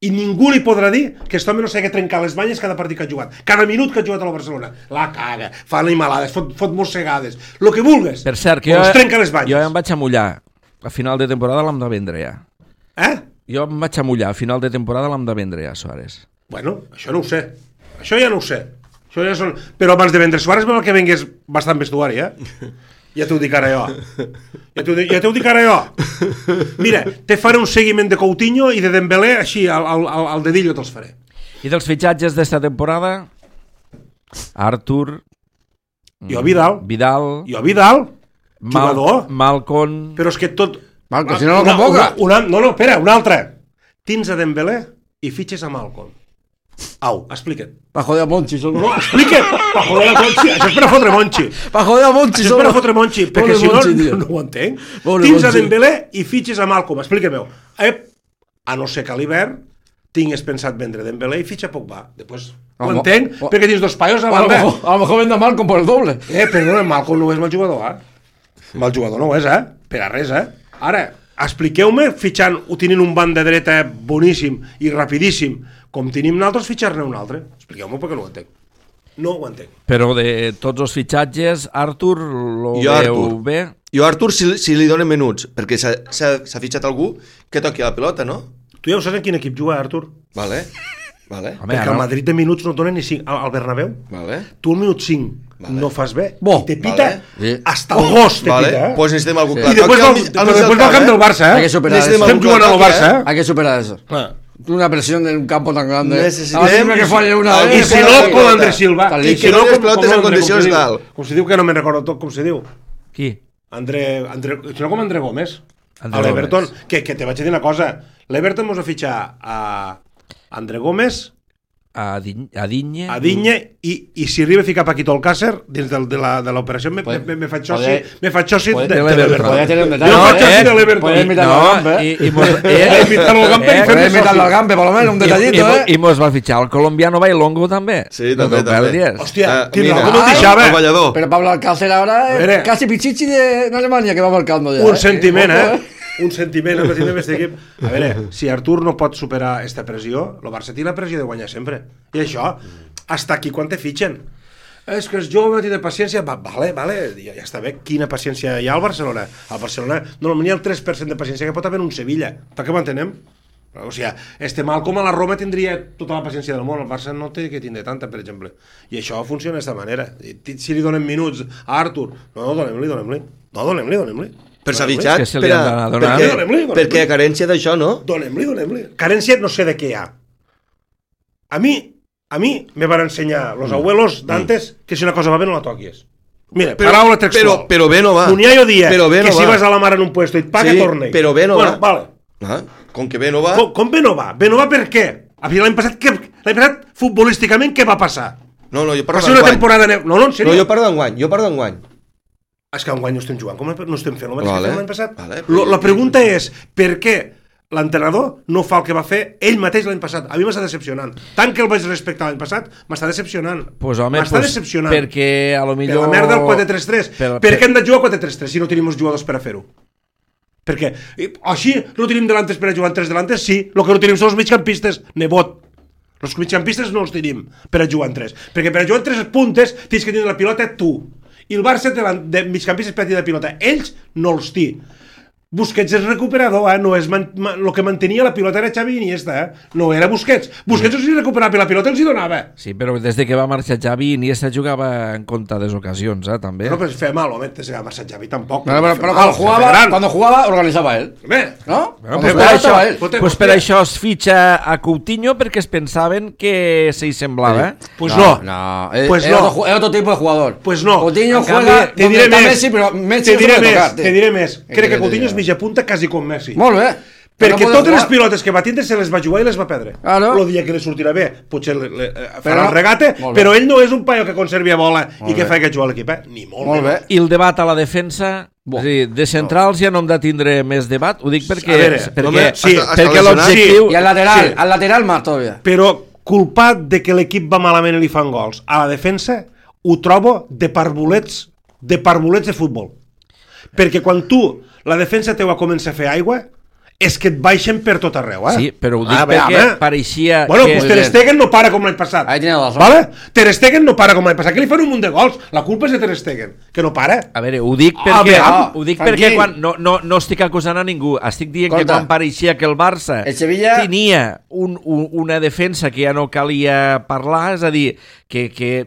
i ningú li podrà dir que aquest home no s'ha de trencar les banyes cada partit que ha jugat. Cada minut que ha jugat a la Barcelona. La caga, fa animalades, fot mossegades, el que vulgues. Per cert, que jo em vaig amullar. A final de temporada l'hem de vendre ja. Jo em vaig amullar. A final de temporada l'hem de vendre ja, Suárez. Bueno, això no ho sé. Això ja no ho sé. Això ja són... Però abans de vendre Suárez vol que vengués bastant vestuari, Ja t'ho dic ara jo. Ja t'ho dic ara jo. Mira, te faré un seguiment de Coutinho i de Dembélé, així, al dedillo te'ls faré. I dels fitxatges d'esta temporada? Artur... Jo Vidal. Jo Vidal. Jugador. Malcom... Però és que tot... Malcom, si no lo convoca. No, espera, un altre. Tins a Dembélé i fitxes a Malcom. Au, explica't. Pa joder a Monchi. No, explica't. Pa joder a Monchi. Això és per a fotre Monchi. Pa joder a Monchi. Això és per a fotre Monchi, perquè si no ho entenc. Tins a Dembélé i fitxes a Malcom. Explica-m'ho. A no ser que a l'hivern tingues pensat vendre Dembélé i fitxa Pogba. Després ho entenc, perquè tens dos paios a banda. A lo mejor vende a Malcom por el doble. Perdona, Malcom no és mal jugador, Mal jugador no ho és, per a res, Ara, expliqueu-me, fitxant, tenint un banc de dreta boníssim i rapidíssim, com tenim nosaltres, fitxar-ne un altre. Expliqueu-me perquè no ho entenc. No ho entenc. Però de tots els fitxatges, Artur lo veu bé? Jo Artur, si li donen minuts, perquè s'ha fitxat algú que toqui la pilota, no? Tu ja ho saps en quin equip juga, Artur? Vale. Home, perquè al Madrid de minuts no et donen ni 5. Al Bernabéu, tu al minut 5 no fas bé, i te pita hasta el gos, te pita. Pues necessitem algú clar. I després va al camp del Barça, Estem jugant al Barça, Hay que superar eso. Una presión en un campo tan grande. Necessitem que falle una vez. I si no, com Andrés Silva. I que no les pilotes en condicions dalt. Com se diu, que no me'n recordo tot, com se diu. Qui? Si no, com André Gómez. A l'Everton. Que te vaig dir una cosa. L'Everton mos va fitxar a André Gómez, a Digne i si arriba a ficar Paquito Alcácer dins de l'operació me faig soci de l'Everton. Podria tenir un detall. Jo faig soci de l'Everton. Podria invitar-lo al Gampe. Podria invitar-lo al Gampe, per lo menos, un detallito, I mos va fitxar el colombiano Bailongo també. Sí, també. Hòstia, tindrà com el deixava. Pero Pablo Alcácer ahora casi pichichi de Alemania que va marcando ya. Un sentiment, un sentiment amb aquest equip. A veure, si Artur no pot superar aquesta pressió, el Barça té la pressió de guanyar sempre. I això, hasta aquí quan te fitxen. És que és jove, té de paciència. Vale, ja està bé. Quina paciència hi ha al Barcelona? Al Barcelona normalment hi ha el 3% de paciència que pot haver en un Sevilla. Per què ho entenem? O sigui, Malcom a la Roma tindria tota la paciència del món. El Barça no té que tindre tanta, per exemple. I això funciona d'aquesta manera. Si li donem minuts a Artur, no, donem-li. Per s'ha fitxat, perquè a carència d'això, no? Donem-li. Carència no sé de què hi ha. A mi, a mi me van ensenyar los abuelos d'antes que si una cosa va bé no la toquis. Mira, paraula textual. Però bé no va. Cunyayo dia Però bé que no si va. vas a la mar en un puesto i et paga, Sí, torna-hi. però bé no bueno, va. Vale. Com que bé no va... Com bé no va? Bé no va per què? L'any passat, futbolísticament, què va passar? No, jo Va parlo ser una d'enguany. temporada... No, en sèrio? No, jo parlo d'enguany. És que enguany no estem jugant, com no estem fent el mateix que fem l'any passat? Vale. La pregunta és, per què l'entrenador no fa el que va fer ell mateix l'any passat? A mi m'està decepcionant. Tant que el vaig respectar l'any passat, m'està decepcionant. Pues, home, m'està decepcionant. Perquè a lo millor... Per la merda del 4-3-3. Per què hem de jugar 4-3-3 si no tenim els jugadors per a fer-ho? Perquè així no tenim delantes per a jugar en 3 delantes? Sí, el que no tenim són els migcampistes, nebot. Els migcampistes no els tenim per a jugar en 3. Perquè per a jugar en 3 puntes tens que tenir la pilota tu. I el Barça de migcampistes per a tenir la pilota. Ells no els té. Busquets és recuperador, no és el que mantenia la pilota era Xavi Iniesta, no era Busquets. Busquets els recuperava i la pilota els hi donava. Sí, però des de que va marxar Xavi, Iniesta jugava en comptades ocasions, també. No, però es feia mal, home, des que va marxar Xavi tampoc. Pero cuando jugaba, organizaba él. ¿No? Pues per això es fitxa a Coutinho perquè es pensaven que se hi semblava. Pues no. Es otro tipo de jugador. Pues no. Coutinho juega donde está Messi, pero Messi te diré més. Crec que Coutinho és mitja punta quasi com Messi. Molt bé. Perquè totes les pilotes que va tindre se les va jugar i les va perdre. El dia que li sortirà bé, potser farà el regate, però ell no és un paio que conservi bola i que fa que jugar a l'equip, ni molt bé. I el debat a la defensa, de centrals ja no hem de tindre més debat, ho dic perquè l'objectiu... I al lateral más todavía. Però culpat de que l'equip va malament i li fan gols, a la defensa ho trobo de parvulets de futbol. Perquè quan tu, la defensa teua comença a fer aigua, és que et baixen per tot arreu, Sí, però ho dic perquè pareixia... Bueno, pues Ter Stegen no para com l'any passat. Vale? Ter Stegen no para com l'any passat, que li fan un munt de gols. La culpa és de Ter Stegen, que no para. A veure, ho dic perquè quan no estic acusant a ningú, estic dient que quan pareixia que el Barça tenia una defensa que ja no calia parlar, és a dir, que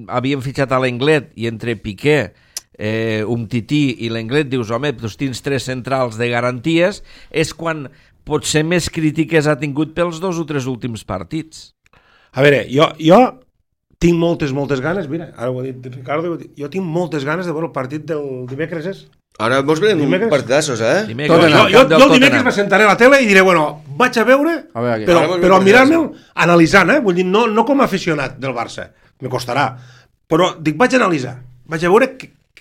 havien fitxat a l'Englet i entre Piqué, Umtiti i l'Englet dius, home, tu tens 3 centrals de garanties, és quan potser més crítiques ha tingut pels 2 o 3 últims partits. A veure, jo tinc moltes ganes, mira, ara ho ha dit Ricardo, jo tinc moltes ganes de veure el partit del dimecres. Ara mos venen partidassos, Jo el dimecres me sentaré a la tele i diré, bueno, vaig a veure, però mirar-me'l analitzant, vull dir, no com a aficionat del Barça, me costarà, però dic, vaig a analitzar, vaig a veure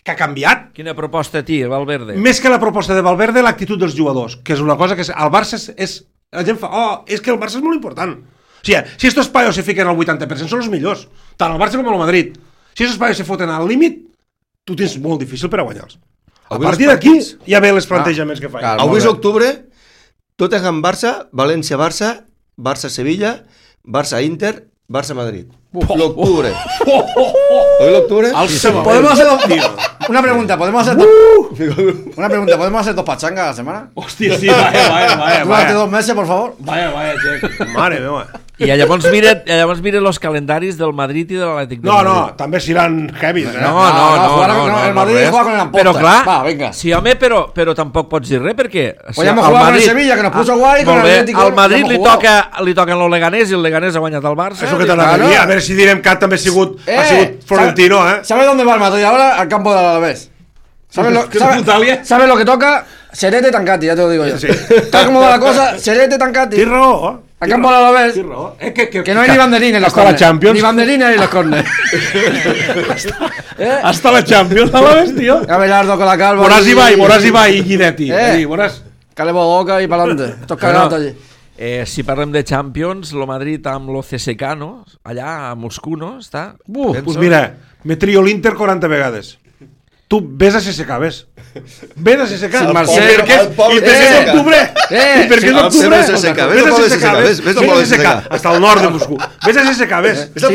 que ha canviat. Quina proposta té Valverde? Més que la proposta de Valverde, l'actitud dels jugadors, que és una cosa que el Barça és... La gent fa, és que el Barça és molt important. O sigui, si estos paios se fiquen al 80% són els millors, tant el Barça com el Madrid. Si estos paios se foten al límit, tu tens molt difícil per a guanyar-los. A partir d'aquí ja ve els plantejaments que fan. Avui és octubre, Tottenham-Barça, València-Barça, Barça-Sevilla, Barça-Inter, Barça-Madrid. L'octubre. ¿Hoy l'octubre? ¿Podemos hacer una pregunta? ¿Podemos hacer 2 pachangas a la semana? Hòstia, sí, vaya. Durante 2 meses, por favor. Vaya, Jack. Mare meva. I llavors miren els calendaris del Madrid i de l'Atlètic de Madrid. No, també seran heavies, No, el Madrid juega con la posta. Però clar, va, venga. Sí, home, però tampoc pots dir res, perquè... Podríamos jugar con el Sevilla, que nos puso guay, con el Atlético. Al Madrid li toquen el Leganés i el Leganés ha guanyat el Barça. Això que t'anava a dir, a veure si direm que ha sigut Florentino, ¿Sabes dónde va el Madrid ahora? Al campo del Alavés. ¿Sabes lo que toca? Serete Tancati, ya te lo digo yo. Tal como va la cosa, Serete Tancati. Tienes raó, Al campo del Alavés. Que no hay ni banderines en los corners. Ni banderines en los corners. Hasta la Champions, Alavés, tío. Abelardo con la calva. Morás Ibai i Guidetti. Calebo Boca y para adelante. Estos cagados allí. Si parlem de Champions, el Madrid amb lo CSKA, no? Allà a Moscou, no? Està? Pues mira, me trio l'Inter 40 vegades. Tu ves a CSKA, ves a CSKA. Sí, Marcel. I per què és octubre? I per què és octubre? Ves a CSKA. Hasta el nord de Moscou. Ves a CSKA, ves. Sin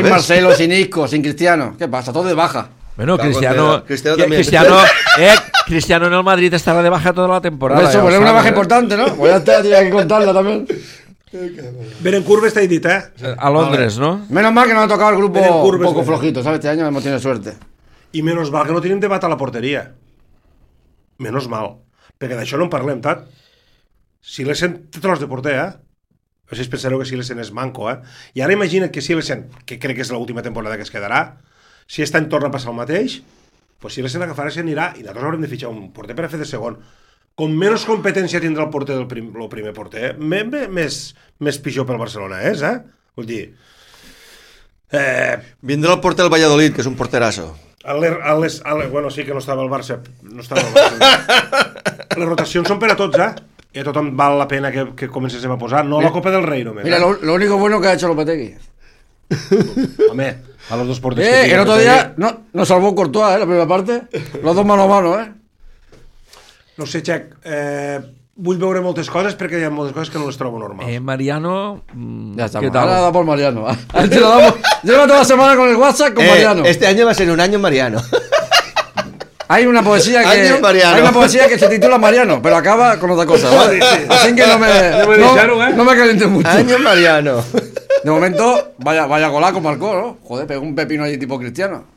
Marcelo, sin Isco, sin Cristiano. ¿Qué pasa? Todo de baja. Bueno, Cristiano en el Madrid estará de baja toda la temporada. Eso, pues es una baja importante, ¿no? Pues ya está, tenía que contarla también. Berencourt está dit, a Londres, ¿no? Menos mal que nos ha tocado el grupo un poco flojito, ¿sabes? Este año hemos tenido suerte. I menos mal que no tenim debat a la porteria. Menos mal. Perquè d'això no en parlem tant. Si l'Essen té tros de porter, No sé si pensareu que Silesen és manco, I ara imagina't que Silesen, que crec que és l'última temporada que es quedarà, si aquest any torna a passar el mateix, pues Silesen agafarà i s'anirà, i nosaltres haurem de fitxar un porter per a fer de segon. Com menys competència tindrà el porter el primer porter, més pitjor pel Barcelona és, Vull dir... Vindrà el porter del Valladolid, que és un porterasso. Bueno, sí que no estava el Barça. Les rotacions són per a tots, I a tothom val la pena que comencéssim a posar. No la Copa del Rei, només. Mira, lo único bueno que ha hecho Lopetegui. Home, a los dos porters el otro día nos salvó Courtois, la primera parte. Los dos mano a mano, No sé, Xec, vull veure moltes coses perquè hi ha moltes coses que no les trobo normals. Mariano, ya está, ¿qué tal? ahora da por Mariano. Lleva toda la semana con el WhatsApp con Mariano. Este año va a ser un año Mariano. Hay una poesía que se titula Mariano, pero acaba con otra cosa, ¿vale? Así que no me caliente mucho. Año Mariano. De momento, vaya golaco marcó, ¿no? Joder, pegó un pepino allí tipo Cristiano.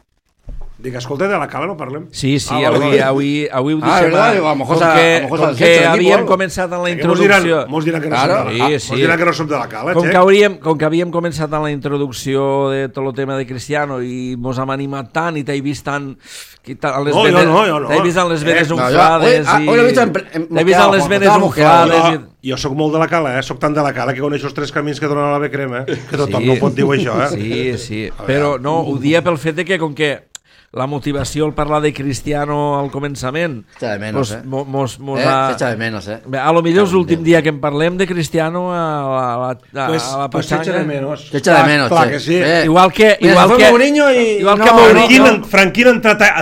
Dic, escolta, de la Cala no parlem? Sí, avui ho deixem. Verdad, a lo mejor com que havíem començat en la introducció... Mos diran que no som de la Cala. Mos diran que no som de la Cala, Com que havíem començat en la introducció de tot el tema de Cristiano i mos hem animat tant i t'he vist tant... No. T'he vist amb les venes unflades i... T'he vist amb les venes unflades... Jo sóc molt de la Cala, sóc tan de la Cala que coneixo els 3 camins que donen a la Becrema, que tothom no pot dir això, Sí, però no, ho dia pel fet de que com que la motivació al parlar de Cristiano al començament echa de menos, echa de menos, a lo millor és l'últim dia que en parlem de Cristiano a la Pachanga. Echa de menos, clar que sí. Igual que Mourinho i Franquín ha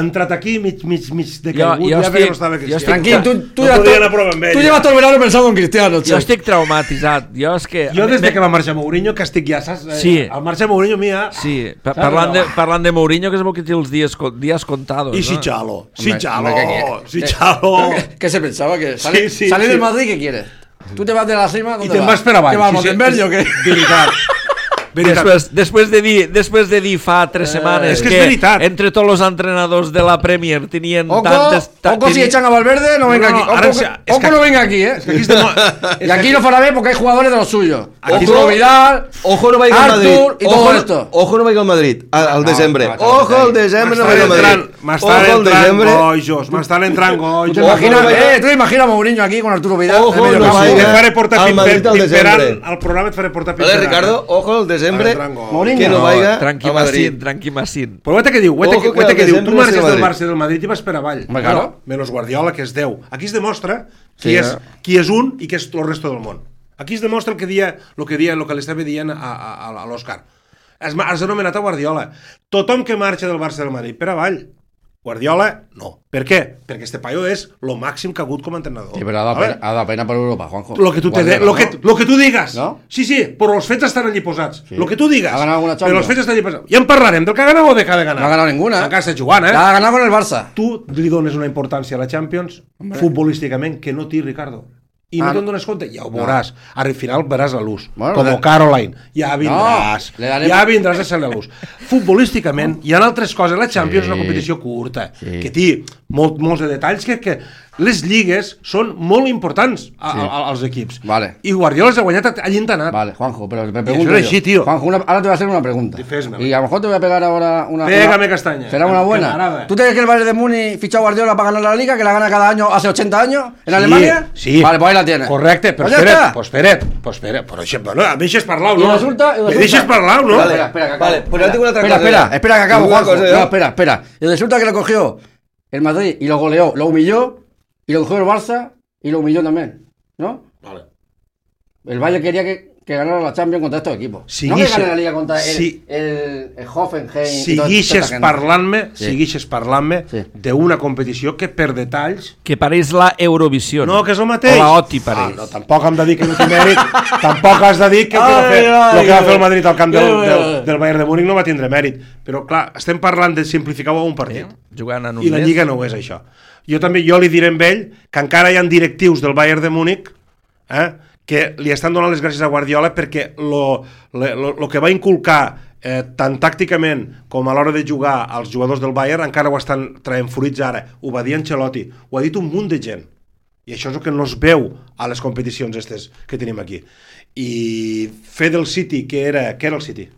entrat aquí mig de caigut, ja que no estava Cristiano. Franquín, tu llevas todo el verano pensando en Cristiano. Jo estic traumatitzat. Jo des que va marxar Mourinho que estic ja, saps? Al marxar Mourinho mia... Sí, parlant de Mourinho que es veu que té els días contados. Y si Chalo. ¿Qué se pensaba? Que sale del Madrid, ¿qué quieres? Tú te vas de la cima, ¿dónde vas? Y te vas per avall. ¿Qué vas, Montenberg o qué? Després de dir fa 3 setmanes que entre tots els entrenadors de la Premier tenien tantes... Ojo si echan a Valverde, no venga aquí. Ojo no venga aquí, Y aquí no fará bien porque hay jugadores de los suyos. Ojo Vidal, ojo no vaya al Madrid. Artur y todo esto. Ojo no vaya al Madrid al desembre. Ojo al desembre no vaya al Madrid. M'estan entrant goig. Tu imaginas a Mourinho aquí con Arturo Vidal. Ojo no vaya al Madrid al desembre. Al programa et faré portar pimperant. Ricardo, ojo al desembre. Que no vaya tranqui Massín. Però què te diu? Tu marxes del Barça i del Madrid i vas per avall. Menos Guardiola, que és 10. Aquí es demostra qui és un i qui és el resto del món. Aquí es demostra el que li estava dient a l'Òscar. Has anomenat a Guardiola. Tothom que marxa del Barça i del Madrid per avall. Guardiola, no. Per què? Perquè este paio és lo màxim que ha hagut com a entrenador. Sí, però ha de pena per Europa, Juanjo. Lo que tu digas. ¿No? Sí, però els fets estan allí posats. Sí. Lo que tu digas. Ha ganado alguna Champions. Però els fets estan allí posats. Ja en parlarem del que ha ganat o de que ha de ganar. No ha ganado ninguna. Encara està jugant, La ha ganado con el Barça. Tu li dones una importància a la Champions futbolísticament que no té Ricardo. I no te'n dones compte, ja ho veuràs. Al final veràs la luz. Com Caroline. Ja vindràs. Ja vindràs a ser la luz. Futbolísticament hi ha altres coses. La Champions és una competició curta, que té molts de detalls que les lligues són molt importants als equips. I Guardiola s'ha guanyat allintanat. Vale, Juanjo, pero me pregunto yo. Juanjo, ahora te voy a hacer una pregunta. Y a lo mejor te voy a pegar ahora una... Pégame castaña. Será una buena. ¿Tú te crees que el Bayern de Múnich fichó a Guardiola para ganar la Liga, que la gana cada año hace 80 años en Alemania? Sí. Vale, pues ahí la tienes. Correcte, però espera't. Per exemple, no, em deixes parlar, no? Me deixes parlar, no? Espera, que acabo, Juanjo. Espera. Y resulta que lo cogió el Madrid y lo goleó, lo humilló. Y lo cogió el Barça y lo humilló también, ¿no? Vale. El Bayern quería que ganara la Champions contra estos equipos. No que gane la Liga contra el Hoffenheim. Seguixes parlant-me d'una competició que per detalls... Que pareix la Eurovisió. No, que és el mateix. O la OTI pareix. No, tampoc hem de dir que no té mèrit. Tampoc has de dir que el que va fer el Madrid al camp del Bayern de Múnich no va tindre mèrit. Però clar, estem parlant de simplificar un partit. I la Lliga no ho és això. Jo li diré a ell que encara hi ha directius del Bayern de Múnich que li estan donant les gràcies a Guardiola perquè el que va inculcar tant tàcticament com a l'hora de jugar als jugadors del Bayern encara ho estan traient fruits ara. Ho va dir Ancelotti, ho ha dit un munt de gent. I això és el que no es veu a les competicions aquestes que tenim aquí. I fer del City, què era el City?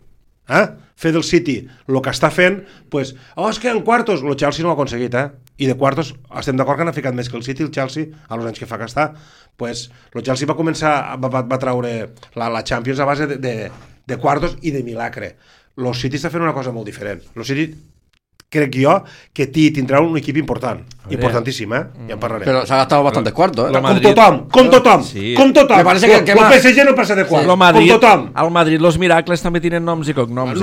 Fer del City el que està fent, pues, és que en quartos, el Chelsea no l'ha aconseguit, i de quartos estem d'acord que han ficat més que el City, el Chelsea, als anys que fa que està. Pues, el Chelsea va traure la Champions a base de quartos i de milagre. El City està fent una cosa molt diferent. El City, crec jo, que tindrà un equip important, importantíssim, ja en parlarem. Pero se ha gastado bastantes cuartos, Com tothom. Me parece que el PSG no passa de quartos, com tothom. Al Madrid los miracles també tenen noms i cognoms.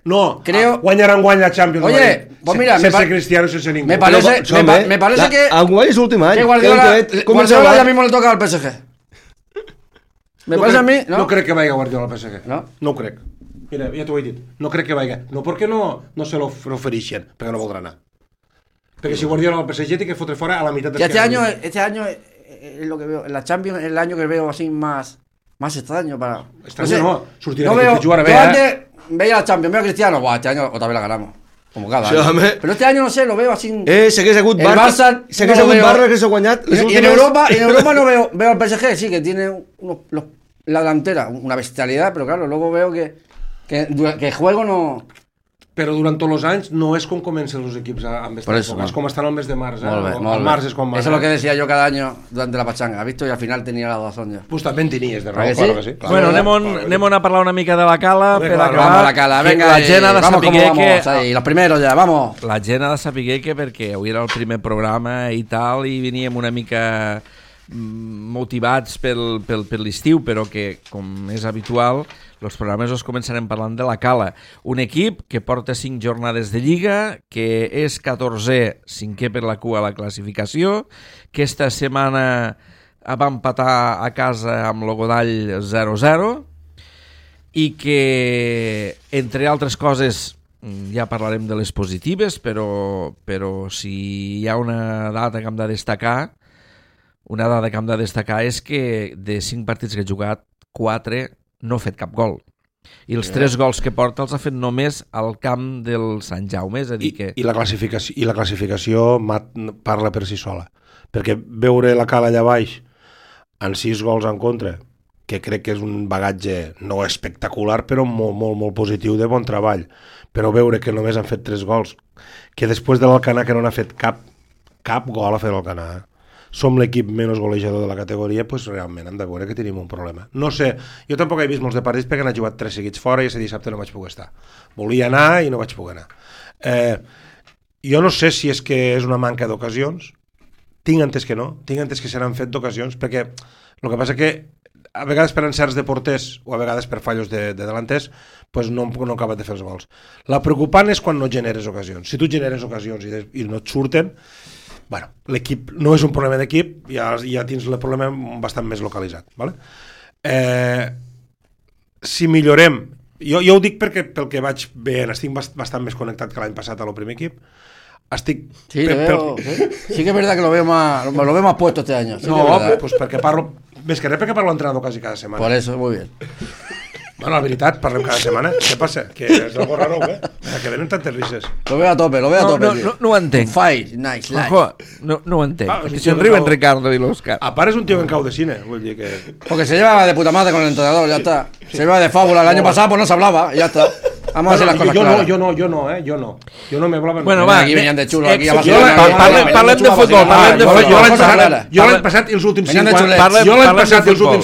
No, guanyaran la Champions. Oye, pues mira, sense Cristiano, sense ningú. Me parece que Enguany és l'últim any. Que Guardiola ya mismo le toca al PSG. Me parece a mí, ¿no? No crec que vagi Guardiola al PSG. No ho crec. Mira, ja t'ho he dit. No crec que vagi. No perquè no se l'ofereixen, perquè no voldrà anar. Perquè si Guardiola al PSG té que fotre fora a la meitat de este año es lo que veo, en la Champions es el año que veo así más extraño para... sortirà que jugarà bé, antes veía la Champions, veo a Cristiano, este año otra vez la ganamos. Como cada año. Pero este año no sé, lo veo así... S'hagués hagut Barça, que s'ha guanyat... Y en Europa no veo al PSG, sí, que tiene la delantera, una bestialidad, pero claro, luego veo que juego no... Però durant tots els anys no és com comencen els equips amb esta època, és com estan al mes de març. Al març és com Eso es lo que decía yo cada año durante la pachanga, ¿has visto? Y al final tenía la razón yo. Pues també en tenies de raó, claro que sí. Bueno, anem a parlar una mica de la Cala per acabar. Vamos a la Cala, venga, la gent ha de saber que... los primeros ya, vamos. La gent ha de saber que perquè avui era el primer programa i tal, i veníem una mica motivats per l'estiu, però que, com és habitual, els programes els començarem parlant de la Cala, un equip que porta 5 jornades de Lliga, que és 14è, 5è per la cua a la classificació, que esta setmana va empatar a casa amb el Godall 0-0 i que, entre altres coses, ja parlarem de les positives, però si hi ha una dada que hem de destacar, és que de 5 partits que ha jugat, 4 no ha fet cap gol. I els 3 gols que porta els ha fet només al camp del Sant Jaume, és a dir que... I la classificació parla per si sola, perquè veure la Cala allà baix amb 6 gols en contra, que crec que és un bagatge no espectacular, però molt, molt, molt positiu de bon treball, però veure que només han fet 3 gols, que després de l'Alcanar que no n'ha fet cap gol ha fet l'Alcanar, som l'equip menys golejador de la categoria, doncs realment hem de veure que tenim un problema. No sé, jo tampoc he vist molts de partits perquè han jugat 3 seguits fora i aquest dissabte no vaig poder estar. Volia anar i no vaig poder anar. Jo no sé si és que és una manca d'ocasions, tinc entès que no, tinc entès que s'han fet d'ocasions, perquè el que passa que a vegades per encerts de porters o a vegades per fallos de delanters doncs no acaben de fer els gols. La preocupant és quan no generes ocasions. Si tu generes ocasions i no et surten, bueno, l'equip no és un problema d'equip, ja tens el problema bastant més localitzat. Vale? Si millorem, jo ho dic perquè pel que vaig veient, estic bastant més connectat que l'any passat a el primer equip. Sí, sí que es verdad que lo veo más puesto este año. Sí, no, pues perquè parlo, més que res perquè parlo entrenador quasi cada setmana. Por eso, muy bien. Bueno, la veritat, parlem cada setmana. Què passa? Que és algo raro, que venen tantes risses. Lo veo a tope. No ho entenc. Fight, nice, life. No ho entenc. Que si riuen Ricardo i l'Òscar. A part és un tío en cau de cine, vull dir que... Porque se lleva de puta madre con el entrenador, ya está. Se lleva de fábula. El año pasado pues no se hablaba, ya está. Vamos a hacer las cosas claras. Yo no me hablaba. Bueno, va. Aquí venían de xulo, aquí a Parlem de futbol, Jo l'any passat i els últims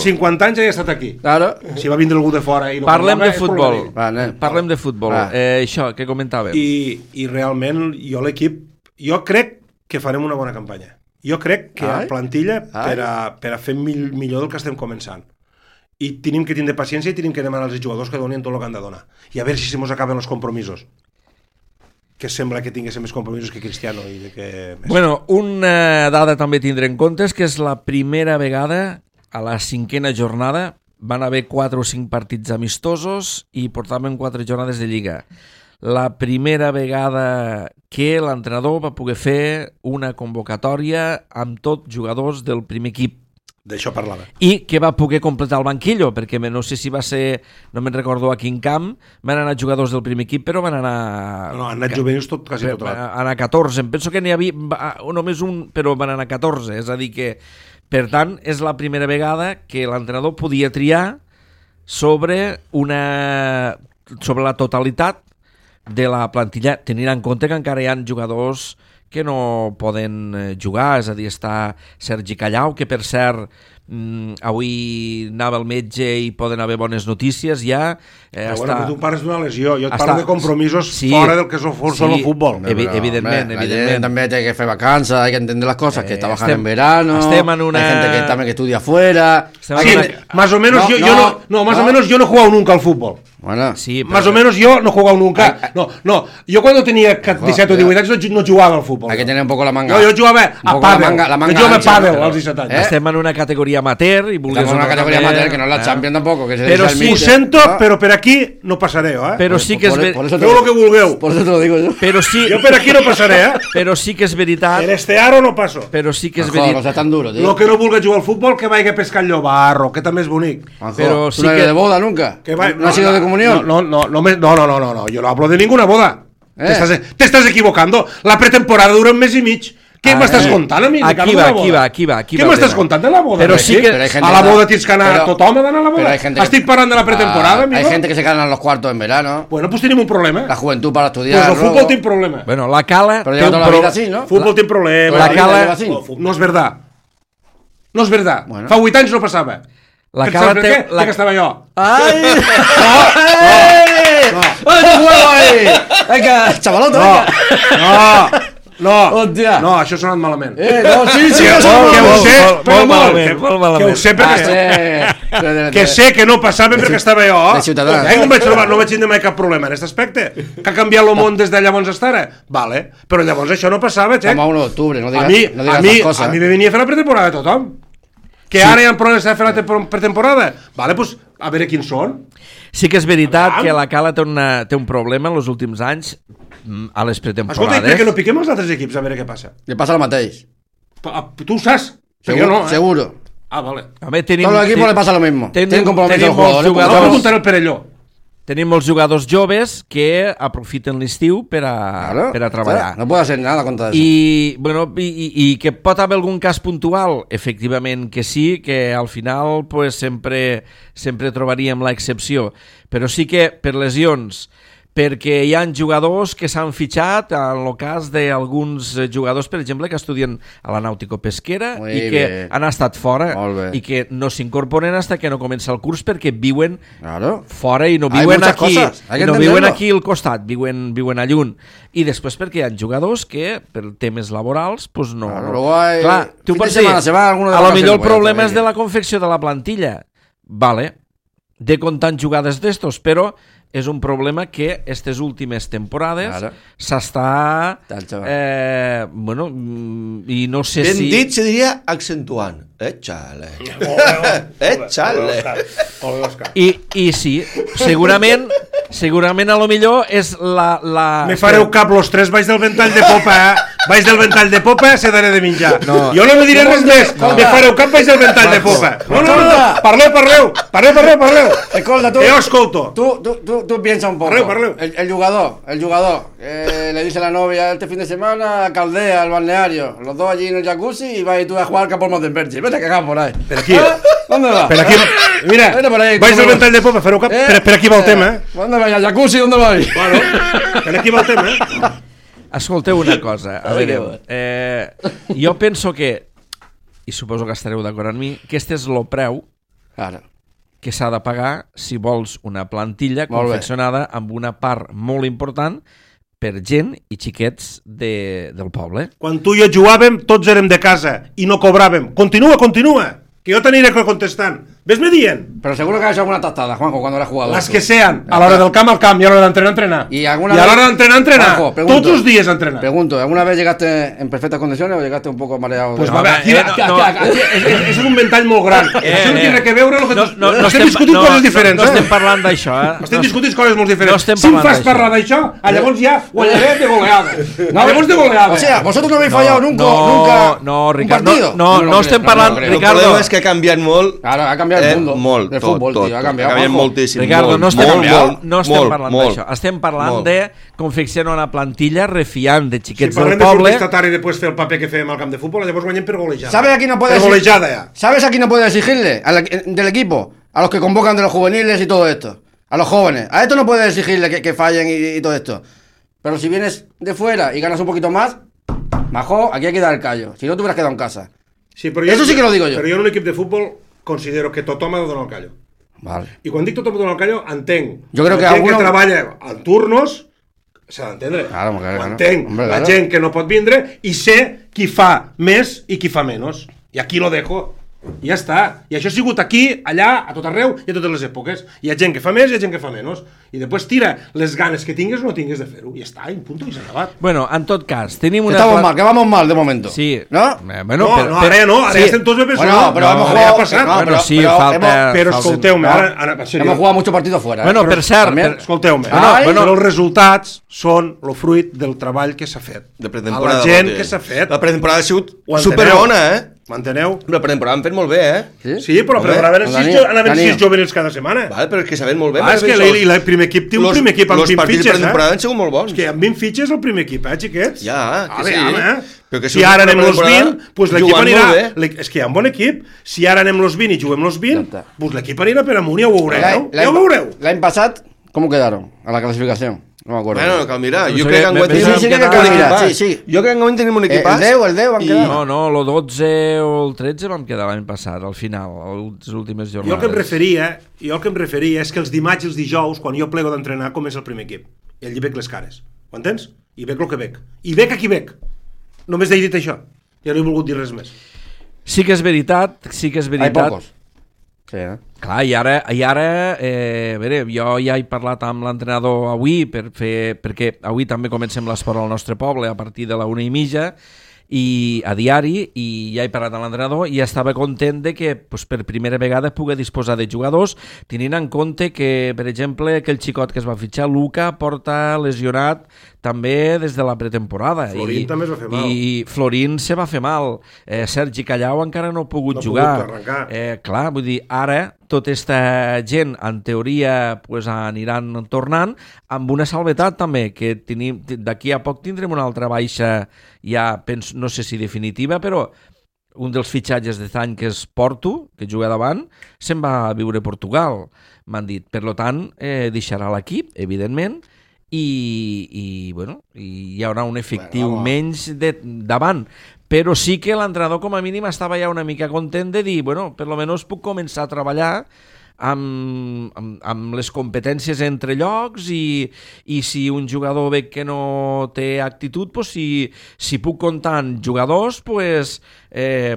50 anys ja he estat aquí. Claro. Si va vindre algú de fora i no parlem de futbol. Parlem de futbol. Això, què comentàvem? I realment jo l'equip, jo crec que farem una bona campanya. Jo crec que a plantilla per a fer millor del que estem començant. I tenim que tindre paciència i tenim que demanar als jugadors que donin tot el que han de donar. I a veure si se mos acaben els compromisos. Que sembla que tinguéssim més compromisos que Cristiano. Bueno, una dada també tindre en compte és que és la primera vegada a la 5a jornada van haver 4 o 5 partits amistosos i portaven 4 jornades de Lliga. La primera vegada que l'entrenador va poder fer una convocatòria amb tots jugadors del primer equip. D'això parlava. I que va poder completar el banquillo, perquè no sé si va ser, no me'n recordo a quin camp, van anar jugadors del primer equip, però van anar... No, han anat juvenils quasi tot. Van anar 14, em penso que n'hi havia només un, però van anar 14, és a dir que, per tant, és la primera vegada que l'entrenador podia triar sobre la totalitat de la plantilla, tenint en compte que encara hi ha jugadors que no poden jugar, és a dir, està Sergi Callau, que per cert avui anava al metge i poden haver bones notícies ja. Bueno, tu parles d'una lesió, jo et parlo de compromisos fora del que són el futbol. Evidentment. La gent també té que fer vacances, hay que entender las cosas, que está bajando en verano, estem en una... hay gente que también que estudia afuera. Sí, más o menos más o menos yo no he jugado nunca al fútbol. Bueno, sí, más o menos yo no he jugado nunca. No, yo cuando tenía 17 o 18 anys no jugava al fútbol. Hay que tener un poco la manga. No, jo jugava a pàdel. Jo jugava a pàdel als 17 anys. Estem en una categoria amateur i estamos en una categoría amateur que no es la Champions tampoco, que se pero sí, ho sento, però per aquí no passaré, Però sí que és veritat. Feu el que vulgueu. Por eso te lo digo yo. Però sí, Jo per aquí no passaré, però sí que és veritat. Per este aro no passo. Però sí que és Joder, no veritat. sea tan duro, tío. Lo que no vulgui jugar al futbol, que vagi a pescar el llobarro, que també és bonic. Juanjo, Pero ¿tú sí no eres que- de boda nunca? ¿No has sido de comunión? No, yo no hablo de ninguna boda. Te estás equivocando. La pretemporada dura un mes y mig. ¿Qué m'estàs contant a mi? Aquí va. Què m'estàs contant de la boda? Però sí que... Pero hay gente A la que- boda tens que anar, pero- tothom ha d'anar a la pero boda. hay gente que- Estic parlant de la pretemporada, amigo. Hay gente que se ganan los cuartos en verano. Bueno, pues tenim un problema. La juventud para estudiar. Pues el luego. fútbol té un problema. Bueno, la Cala... Pero té lleva un toda la vida así, ¿no? Fútbol té un problema. La Cala- lleva así. No és verdad. No és verdad. Bueno. Fa 8 anys no passava. La Per Cala saps per té... què? Perquè estava jo. ¡Ay! ¡No! ¡Ay, tu juego ahí! ¡Venga, chavalota, venga! No, Hòstia. no, això ha sonat malament. No, sí, Que no, ho sé, però molt malament, molt malament. que ho sé perquè... Que sé que no passava perquè estava jo. de Ciutadans. No vaig tindre mai cap problema en aquest aspecte. Que ha canviat el món des de llavors fins ara. Vale, però llavors això no passava, xec. Estamos a 1 de octubre, no A digas, mi, no digas a mi, esas cosas. a mi me venia a fer la pretemporada tothom. Que ara hi ha problemes de fer la pretemporada. Vale, pues a veure quins són. Sí que és veritat que la Cala té un problema en els últims anys a les Escolta, i per pretemporades. què no piquem els altres equips a veure què passa? Le pasa al mateix. Tu ho saps? Perquè Seguro, jo no, seguro. Ah, vale. Home, tenim, Todos los equipos le pasa lo mismo. Tienen compromiso tenim los molts jugadores. Vas jugadors, preguntar el Perelló. tenim molts jugadors joves que aprofiten l'estiu per a treballar. No puede hacer nada contra eso. I, bueno, i que pot haver algun cas puntual? Efectivament que sí, que al final pues, sempre trobaríem l'excepció. Però sí que per lesions, perquè hi ha jugadors que s'han fitxat en el cas d'alguns jugadors, per exemple, que estudien a la Nàutico Pesquera Muy i que bien. han estat fora Molt bé. i que no s'incorporen fins que no comença el curs perquè viuen Claro. fora i no Hay viuen muchas aquí, cosas, hay que i no viuen entenderlo. aquí al costat, viuen a lluny. I després perquè hi ha jugadors que per temes laborals pues no. Claro, luego hay- Clar, tu fin de pots semana dir, se va alguno de a lo vacaciones, millor el pues, problema ya és está, de la confecció de la plantilla. Vale, de comptant jugades d'estos, però és un problema que aquestes últimes temporades Claro. s'està... Tal, chaval. Bueno, i no sé Ben si... dit se diria accentuant. Xale. Xale. I sí, segurament a lo millor és la... Me fareu cap los tres baix del ventall de popa, baix del ventall de popa se daré de menjar. No. Jo no me diré res més, me fareu cap baix del ventall de popa. No, parleu. Escolta, tú. Jo escolto. Tú piensa un poco. Parleu. El jugador, le dice a la novia este fin de semana a Caldea, al balneario, los dos allí en el jacuzzi y vas y tú a jugar campo al Montemperchi. Vete a cagar por ahí. Per aquí. ¿Dónde vas? Per aquí. Mira, Vete por ahí, baix del ¿cómo ventall de popa, fareu cap. Per aquí va el tema, eh? ¿Dónde vas? ¿Al jacuzzi? ¿Dónde vas? Bueno, per aquí va el tema, eh? Escolteu una cosa, a veure, jo penso que, i suposo que estareu d'acord amb mi, que este és el preu Claro. que s'ha de pagar si vols una plantilla Molt bé. confeccionada amb una part molt important per gent i xiquets del poble. Quan tu i jo jugàvem, tots érem de casa i no cobràvem. Continua, que jo t'aniré contestant. Ves-me dient. Pero seguro que has hecho alguna tastada, Juanjo, cuando eras jugador. Las que sean, a l'hora del camp al camp, i a l'hora d'entrenar, entrenar. Y a l'hora d'entrenar, entrenar. Juanjo, pregunto, tots els dies entrenar. Pregunto, ¿alguna vez llegaste en perfectas condiciones o llegaste un poco mareado? Pues va, aquí, és un ventall molt gran. Això no té res que veure amb el que... No estem discutint coses diferents. No estem parlant d'això, Estem discutint coses molt diferents. No si em fas parlar d'això, llavors ja guanyaré de goleada. Llavors de goleada. O sea, vosotros no habéis fallado nunca no, Ricardo, un partido. no estem parlant, El Ricardo. problema és que ha canviat molt. Claro, ha cambiado el mundo molt, del fútbol, tot, tío, ha tot. cambiado. Ha canviat Juanjo. moltíssim. Ricardo, no estem parlant molt. d'això. Estem parlant de confeccionar una plantilla refiant de Si xiquets parlem del de poble. protestatar i després fer el paper que fem al camp de futbol, llavors guanyem per golejada. ¿Sabes a quién no puede Per golejada ja. ¿Sabes a quién no puede exigirle? Del equipo. A los que convocan de los juveniles y todo esto. A los jóvenes. A esto no puedes exigirle que fallen y todo esto. Pero si vienes de fuera y ganas un poquito más, majo, aquí hay que dar el callo. Si no, te hubieras quedado en casa. Sí, però Eso sí que lo digo yo. Però jo en un equip de futbol considero que tothom ha de donar el callo. Vale. I quan dic tothom ha de donar el callo, entenc. Jo crec que la gent alguno... que treballa en turnos s'ha d'entendre. Claro, claro. Ho entenc. Hombre, la claro. gent que no pot vindre i sé qui fa més i qui fa menys. I aquí lo dejo. I ja està. I això ha sigut aquí, allà, a tot arreu i a totes les èpoques. Hi ha gent que fa més i hi ha gent que fa menys. I després tira les ganes que tingues o no tingues de fer-ho. I ja està, i punt, i s'ha acabat. Bueno, en tot cas, tenim una... Que vamos mal de momento. Sí. ¿No? Bueno, ara ja no, ara ja estem tots bé Bueno, pero hemos ara ja ha jugado... passat. Bueno, sí, falta... Però escolteu-me, ara en sèrio. Hemos jugado muchos partidos fuera. Bueno, per cert... Escolteu-me, Bueno, els resultats són el fruit del treball que s'ha fet. De A pretemporada. la gent que s'ha fet. La pretemporada ha sigut Ho enteneu? superbona, M'enteneu? La pretemporada han fet molt bé, Sí, però anaven sis juvenils cada setmana. Vale, però és que saben molt bé. És que el primer equip té un primer equip amb 20 Els partits de fitxes, pretemporada han sigut molt bons. És que amb 20 fitxes el primer equip, xiquets? Ja, que sí. Però que Si ara anem los 20, pretemporada pues l'equip jugant anirà... molt bé. És que hi ha un bon equip. Si ara anem los 20 i juguem los 20, pues l'equip anirà per amunt, ja ho veureu. Ja ho veureu. L'any passat, ¿cómo quedaron a la clasificación? No me acuerdo. Bueno, cal mirar. No Jo sé, crec que enguany sí, tenim sí, un que equipàs. mirar, sí. Jo crec que enguany tenim un equipàs. El 10 van quedar. No, el 12 o el 13 vam quedar l'any passat, al final, les últimes jornades. Jo el que em referia és que els dimarts i els dijous, quan jo plego d'entrenar, comença el primer equip. I allí veig les cares. Ho entens? I veig el que veig. I veig a qui veig. Només he dit això. Ja no he volgut dir res més. Sí que és veritat. Hay pocos. Sí, Clar, i ara a veure, jo ja he parlat amb l'entrenador avui perquè avui també comencem l'esport al nostre poble a partir de la 1:30 i a diari, i ja he parlat amb l'entrenador i estava content de que pues, per primera vegada pugui disposar de jugadors, tenint en compte que, per exemple, aquell xicot que es va fitxar, Luca, porta lesionat també des de la pretemporada. Florín també es va fer mal. I Florín se va fer mal. Sergi Callau encara no ha pogut jugar. Clar, vull dir, ara tota aquesta gent, en teoria, pues, aniran tornant, amb una salvetat també, que d'aquí a poc tindrem una altra baixa, ja penso, no sé si definitiva, però un dels fitxatges d'any, que és Porto, que juga davant, se'n va a viure a Portugal, m'han dit. Per tant, deixarà l'equip, evidentment, i bueno, hi haurà un efectiu menys davant. Però sí que l'entrenador com a mínim estava ja una mica content de dir, bueno, per lo menos puc començar a treballar amb les competències entre llocs i si un jugador ve que no té actitud, pues, si puc comptar en jugadors, pues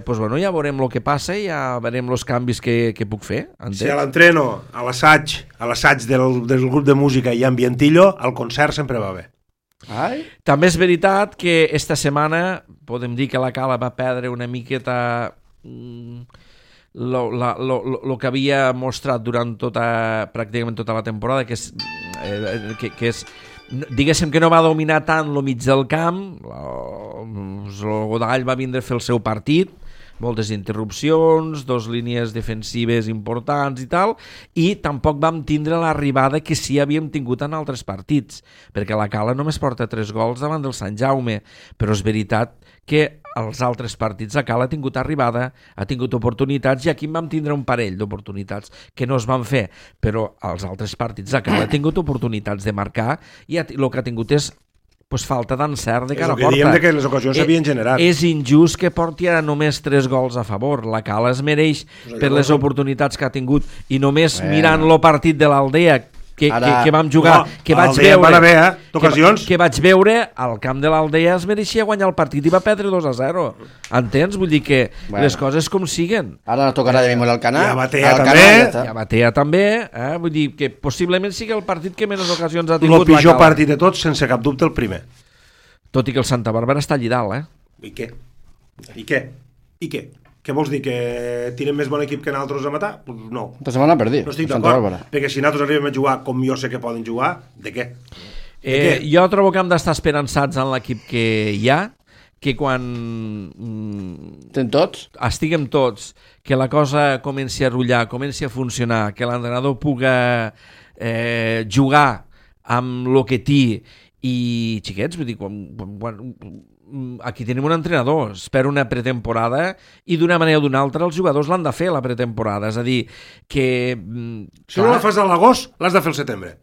bueno, ja veurem el que passa i ja veurem els canvis que puc fer. Si a l'entreno, a l'assaig del grup de música i ambientillo, el concert sempre va bé. També és veritat que esta setmana podem dir que la Cala va perdre una miqueta lo que havia mostrat durant pràcticament tota la temporada, que és diguéssim que no va dominar tant lo mig del camp. El Godall va vindre a fer el seu partit, moltes interrupcions, 2 línies defensives importants i tal, i tampoc vam tindre l'arribada que sí havíem tingut en altres partits, perquè la Cala només porta 3 gols davant del Sant Jaume, però és veritat que als altres partits la Cala ha tingut arribada, ha tingut oportunitats, i aquí en vam tindre un parell d'oportunitats que no es van fer, però als altres partits la Cala ha tingut oportunitats de marcar i el que ha tingut és falta d'encert de cara a porta. És el que diem que les ocasions s'havien generat. És injust que porti ara només 3 gols a favor. La Cala es mereix per les oportunitats que ha tingut, i només mirant el partit de l'Aldea, que vam jugar, que vaig veure... Que vaig veure al camp de l'Aldea es mereixia guanyar el partit i va perdre 2-0. Entens? Vull dir que les coses com siguen. Ara no tocarà de memòria al Canà. I a Batea també. Vull dir que possiblement sigui el partit que menys ocasions ha tingut. El pitjor partit de tots, sense cap dubte, el primer. Tot i que el Santa Bàrbara està allí dalt, I què? Què vols dir, que tenen més bon equip que nosaltres a matar? Pues no. Tota setmana per dir. No estic d'acord, perquè si nosaltres arribem a jugar com jo sé que poden jugar, de què? Jo trobo que hem d'estar esperançats en l'equip que hi ha, que quan estiguem tots, que la cosa comenci a rotllar, comenci a funcionar, que l'entrenador puga jugar amb el que té i xiquets, vull dir, aquí tenim un entrenador, espera una pretemporada i d'una manera o d'una altra els jugadors l'han de fer la pretemporada, és a dir que... Si no la fas a l'agost, l'has de fer al setembre.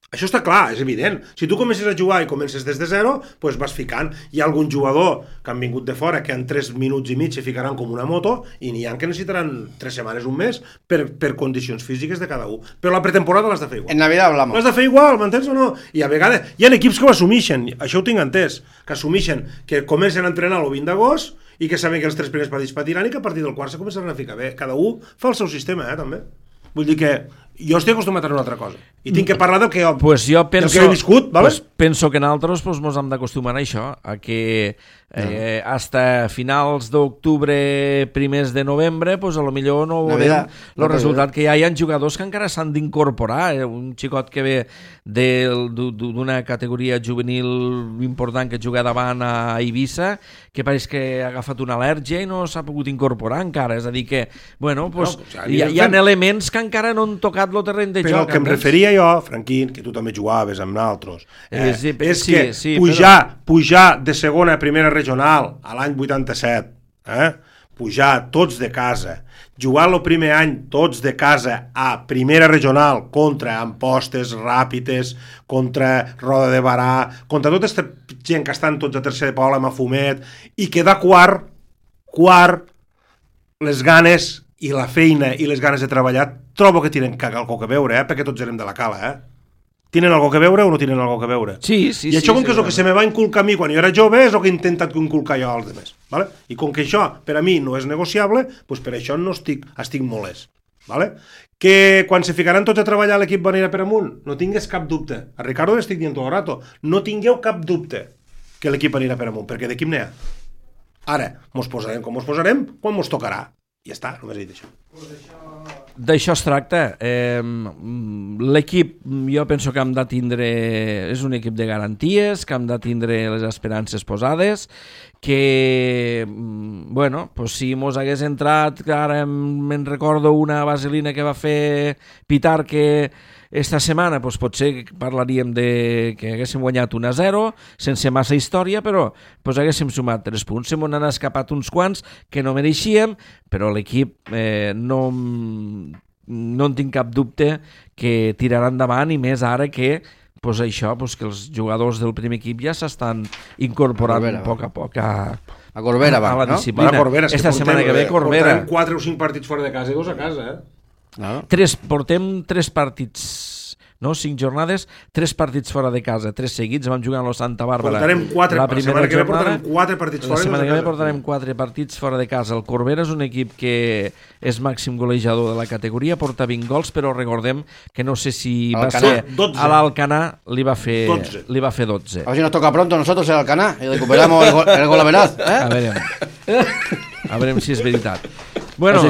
Això està clar, és evident. Si tu comences a jugar i comences des de zero, doncs vas ficant. Hi ha algun jugador que han vingut de fora que en 3 minuts i mig se ficaran com una moto i n'hi ha que necessitaran 3 setmanes, un mes, per condicions físiques de cada un. Però la pretemporada l'has de fer igual. En Navidad hablamos. L'has de fer igual, m'entens o no? I a vegades hi ha equips que ho assumixen, això ho tinc entès, que assumixen que comencen a entrenar el 20 d'agost i que saben que els 3 primers partits patiran i que a partir del quart se començaran a ficar bé. Cada un fa el seu sistema, també. Vull dir que jo estic acostumat a una altra cosa i tinc que parlar del que jo, jo penso, del que he viscut, ¿vale? Penso que nosaltres ens hem d'acostumar a això, a que hasta finals d'octubre, primers de novembre, a lo millor no veurem el resultat, que hi ha jugadors que encara s'han d'incorporar. Un xicot que ve d'una categoria juvenil important que juga davant a Eivissa, que pareix que ha agafat una al·lèrgia i no s'ha pogut incorporar encara, és a dir que, bueno, hi ha elements que encara no han tocat el terreny de joc. Però el que em referia jo, Franquín, que tu també jugaves amb nosaltres, és que pujar de segona a primera regional a l'any 87, pujar tots de casa, jugar el primer any tots de casa a primera regional contra Ampostes, Ràpides, contra Roda de Barà, contra tota aquesta gent que estan tots a tercer de Paula, Mafumet, i quedar quart, les ganes i la feina i les ganes de treballar, trobo que tenen algo que veure, perquè tots érem de la cala, Tenen algo que veure o no tenen algo que veure? Sí. I això, com que és el que se me va inculcar a mi quan jo era jove, és el que he intentat inculcar jo als altres. ¿Vale? I com que això per a mi no és negociable, doncs per això no estic molest. ¿Vale? Que quan se ficaran tots a treballar l'equip va anar per amunt, no tingues cap dubte. A Ricardo l'estic dient tot el rato. No tingueu cap dubte que l'equip anirà per amunt, perquè d'equip n'hi ha. Ara, mos posarem com mos posarem quan mos tocarà. I ja està, només he dit això. D'això es tracta. L'equip, jo penso que hem de tindre... És un equip de garanties, que hem de tindre les esperances posades, que, bueno, pues si mos hagués entrat, ara me'n recordo una vaselina que va fer Pitar que esta setmana, pues potser parlaríem de que haguéssim guanyat 1-0, sense massa història, però pues haguéssim sumat 3 punts. Se m'han escapat uns quants que no mereixíem, però l'equip no en tinc cap dubte que tirarà endavant, i més ara que pues això, pues que els jugadors del primer equip ja s'estan incorporant a poc a Corbera, a la disciplina. Esta setmana que ve Corbera. Portarem 4 o 5 partits fora de casa i 2 a casa, Portem 3 partits, no? 5 jornades, 3 partits fora de casa, 3 seguits. Vam jugar amb el Santa Bàrbara. Portarem 4, la setmana que ve portarem 4 partits fora de casa. La setmana que ve portarem 4 partits fora de casa. El Corbera és un equip que és màxim golejador de la categoria, porta 20 gols, però recordem que no sé si va ser 12. A l'Alcanar li va fer 12. A ver si nos toca pronto a nosotros el Alcanar y recuperamos el gol veraz. A veure si és veritat. Bueno,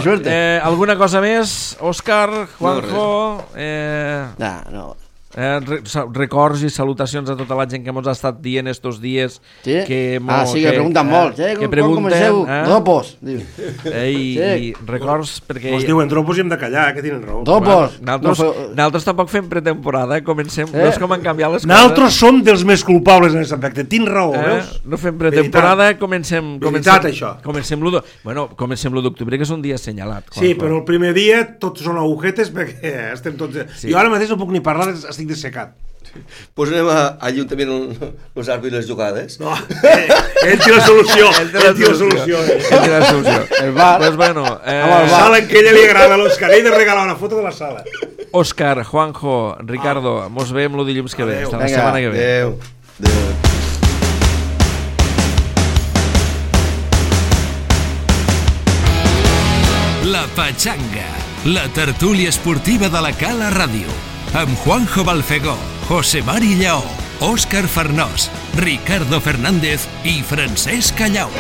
alguna cosa més? Òscar, Juanjo... No. Records i salutacions a tota la gent que ens ha estat dient estos dies. Sí? Que pregunten molt. Que pregunten. Dropos. I records perquè... Ens diuen dropos i hem de callar, que tenen raó. Dropos. Nosaltres tampoc fem pretemporada, comencem. No és com han canviat les coses. Nosaltres som dels més culpables en aquest aspecte. Tens raó, veus? No fem pretemporada, comencem... Veritat, això. Comencem l'1 d'octubre, que és un dia assenyalat. Sí, però el primer dia tots són agujetes perquè estem tots... Jo ara mateix no puc ni parlar, estic dessecat. Pues anem a l'Ajuntament els àrbitres les jugades. No, ell té la solució. El bar. Pues bueno, la sala en què ella li agrada a l'Òscar, ell de regalar una foto de la sala. Òscar, Juanjo, Ricardo, mos veiem el dilluns que ve. Hasta la Vinga. setmana que ve. Adéu. La Pachanga, la tertúlia esportiva de la Cala Ràdio, amb Juanjo Balfegó, José Mari Lleó, Òscar Farnós, Ricardo Fernández i Francesc Callau.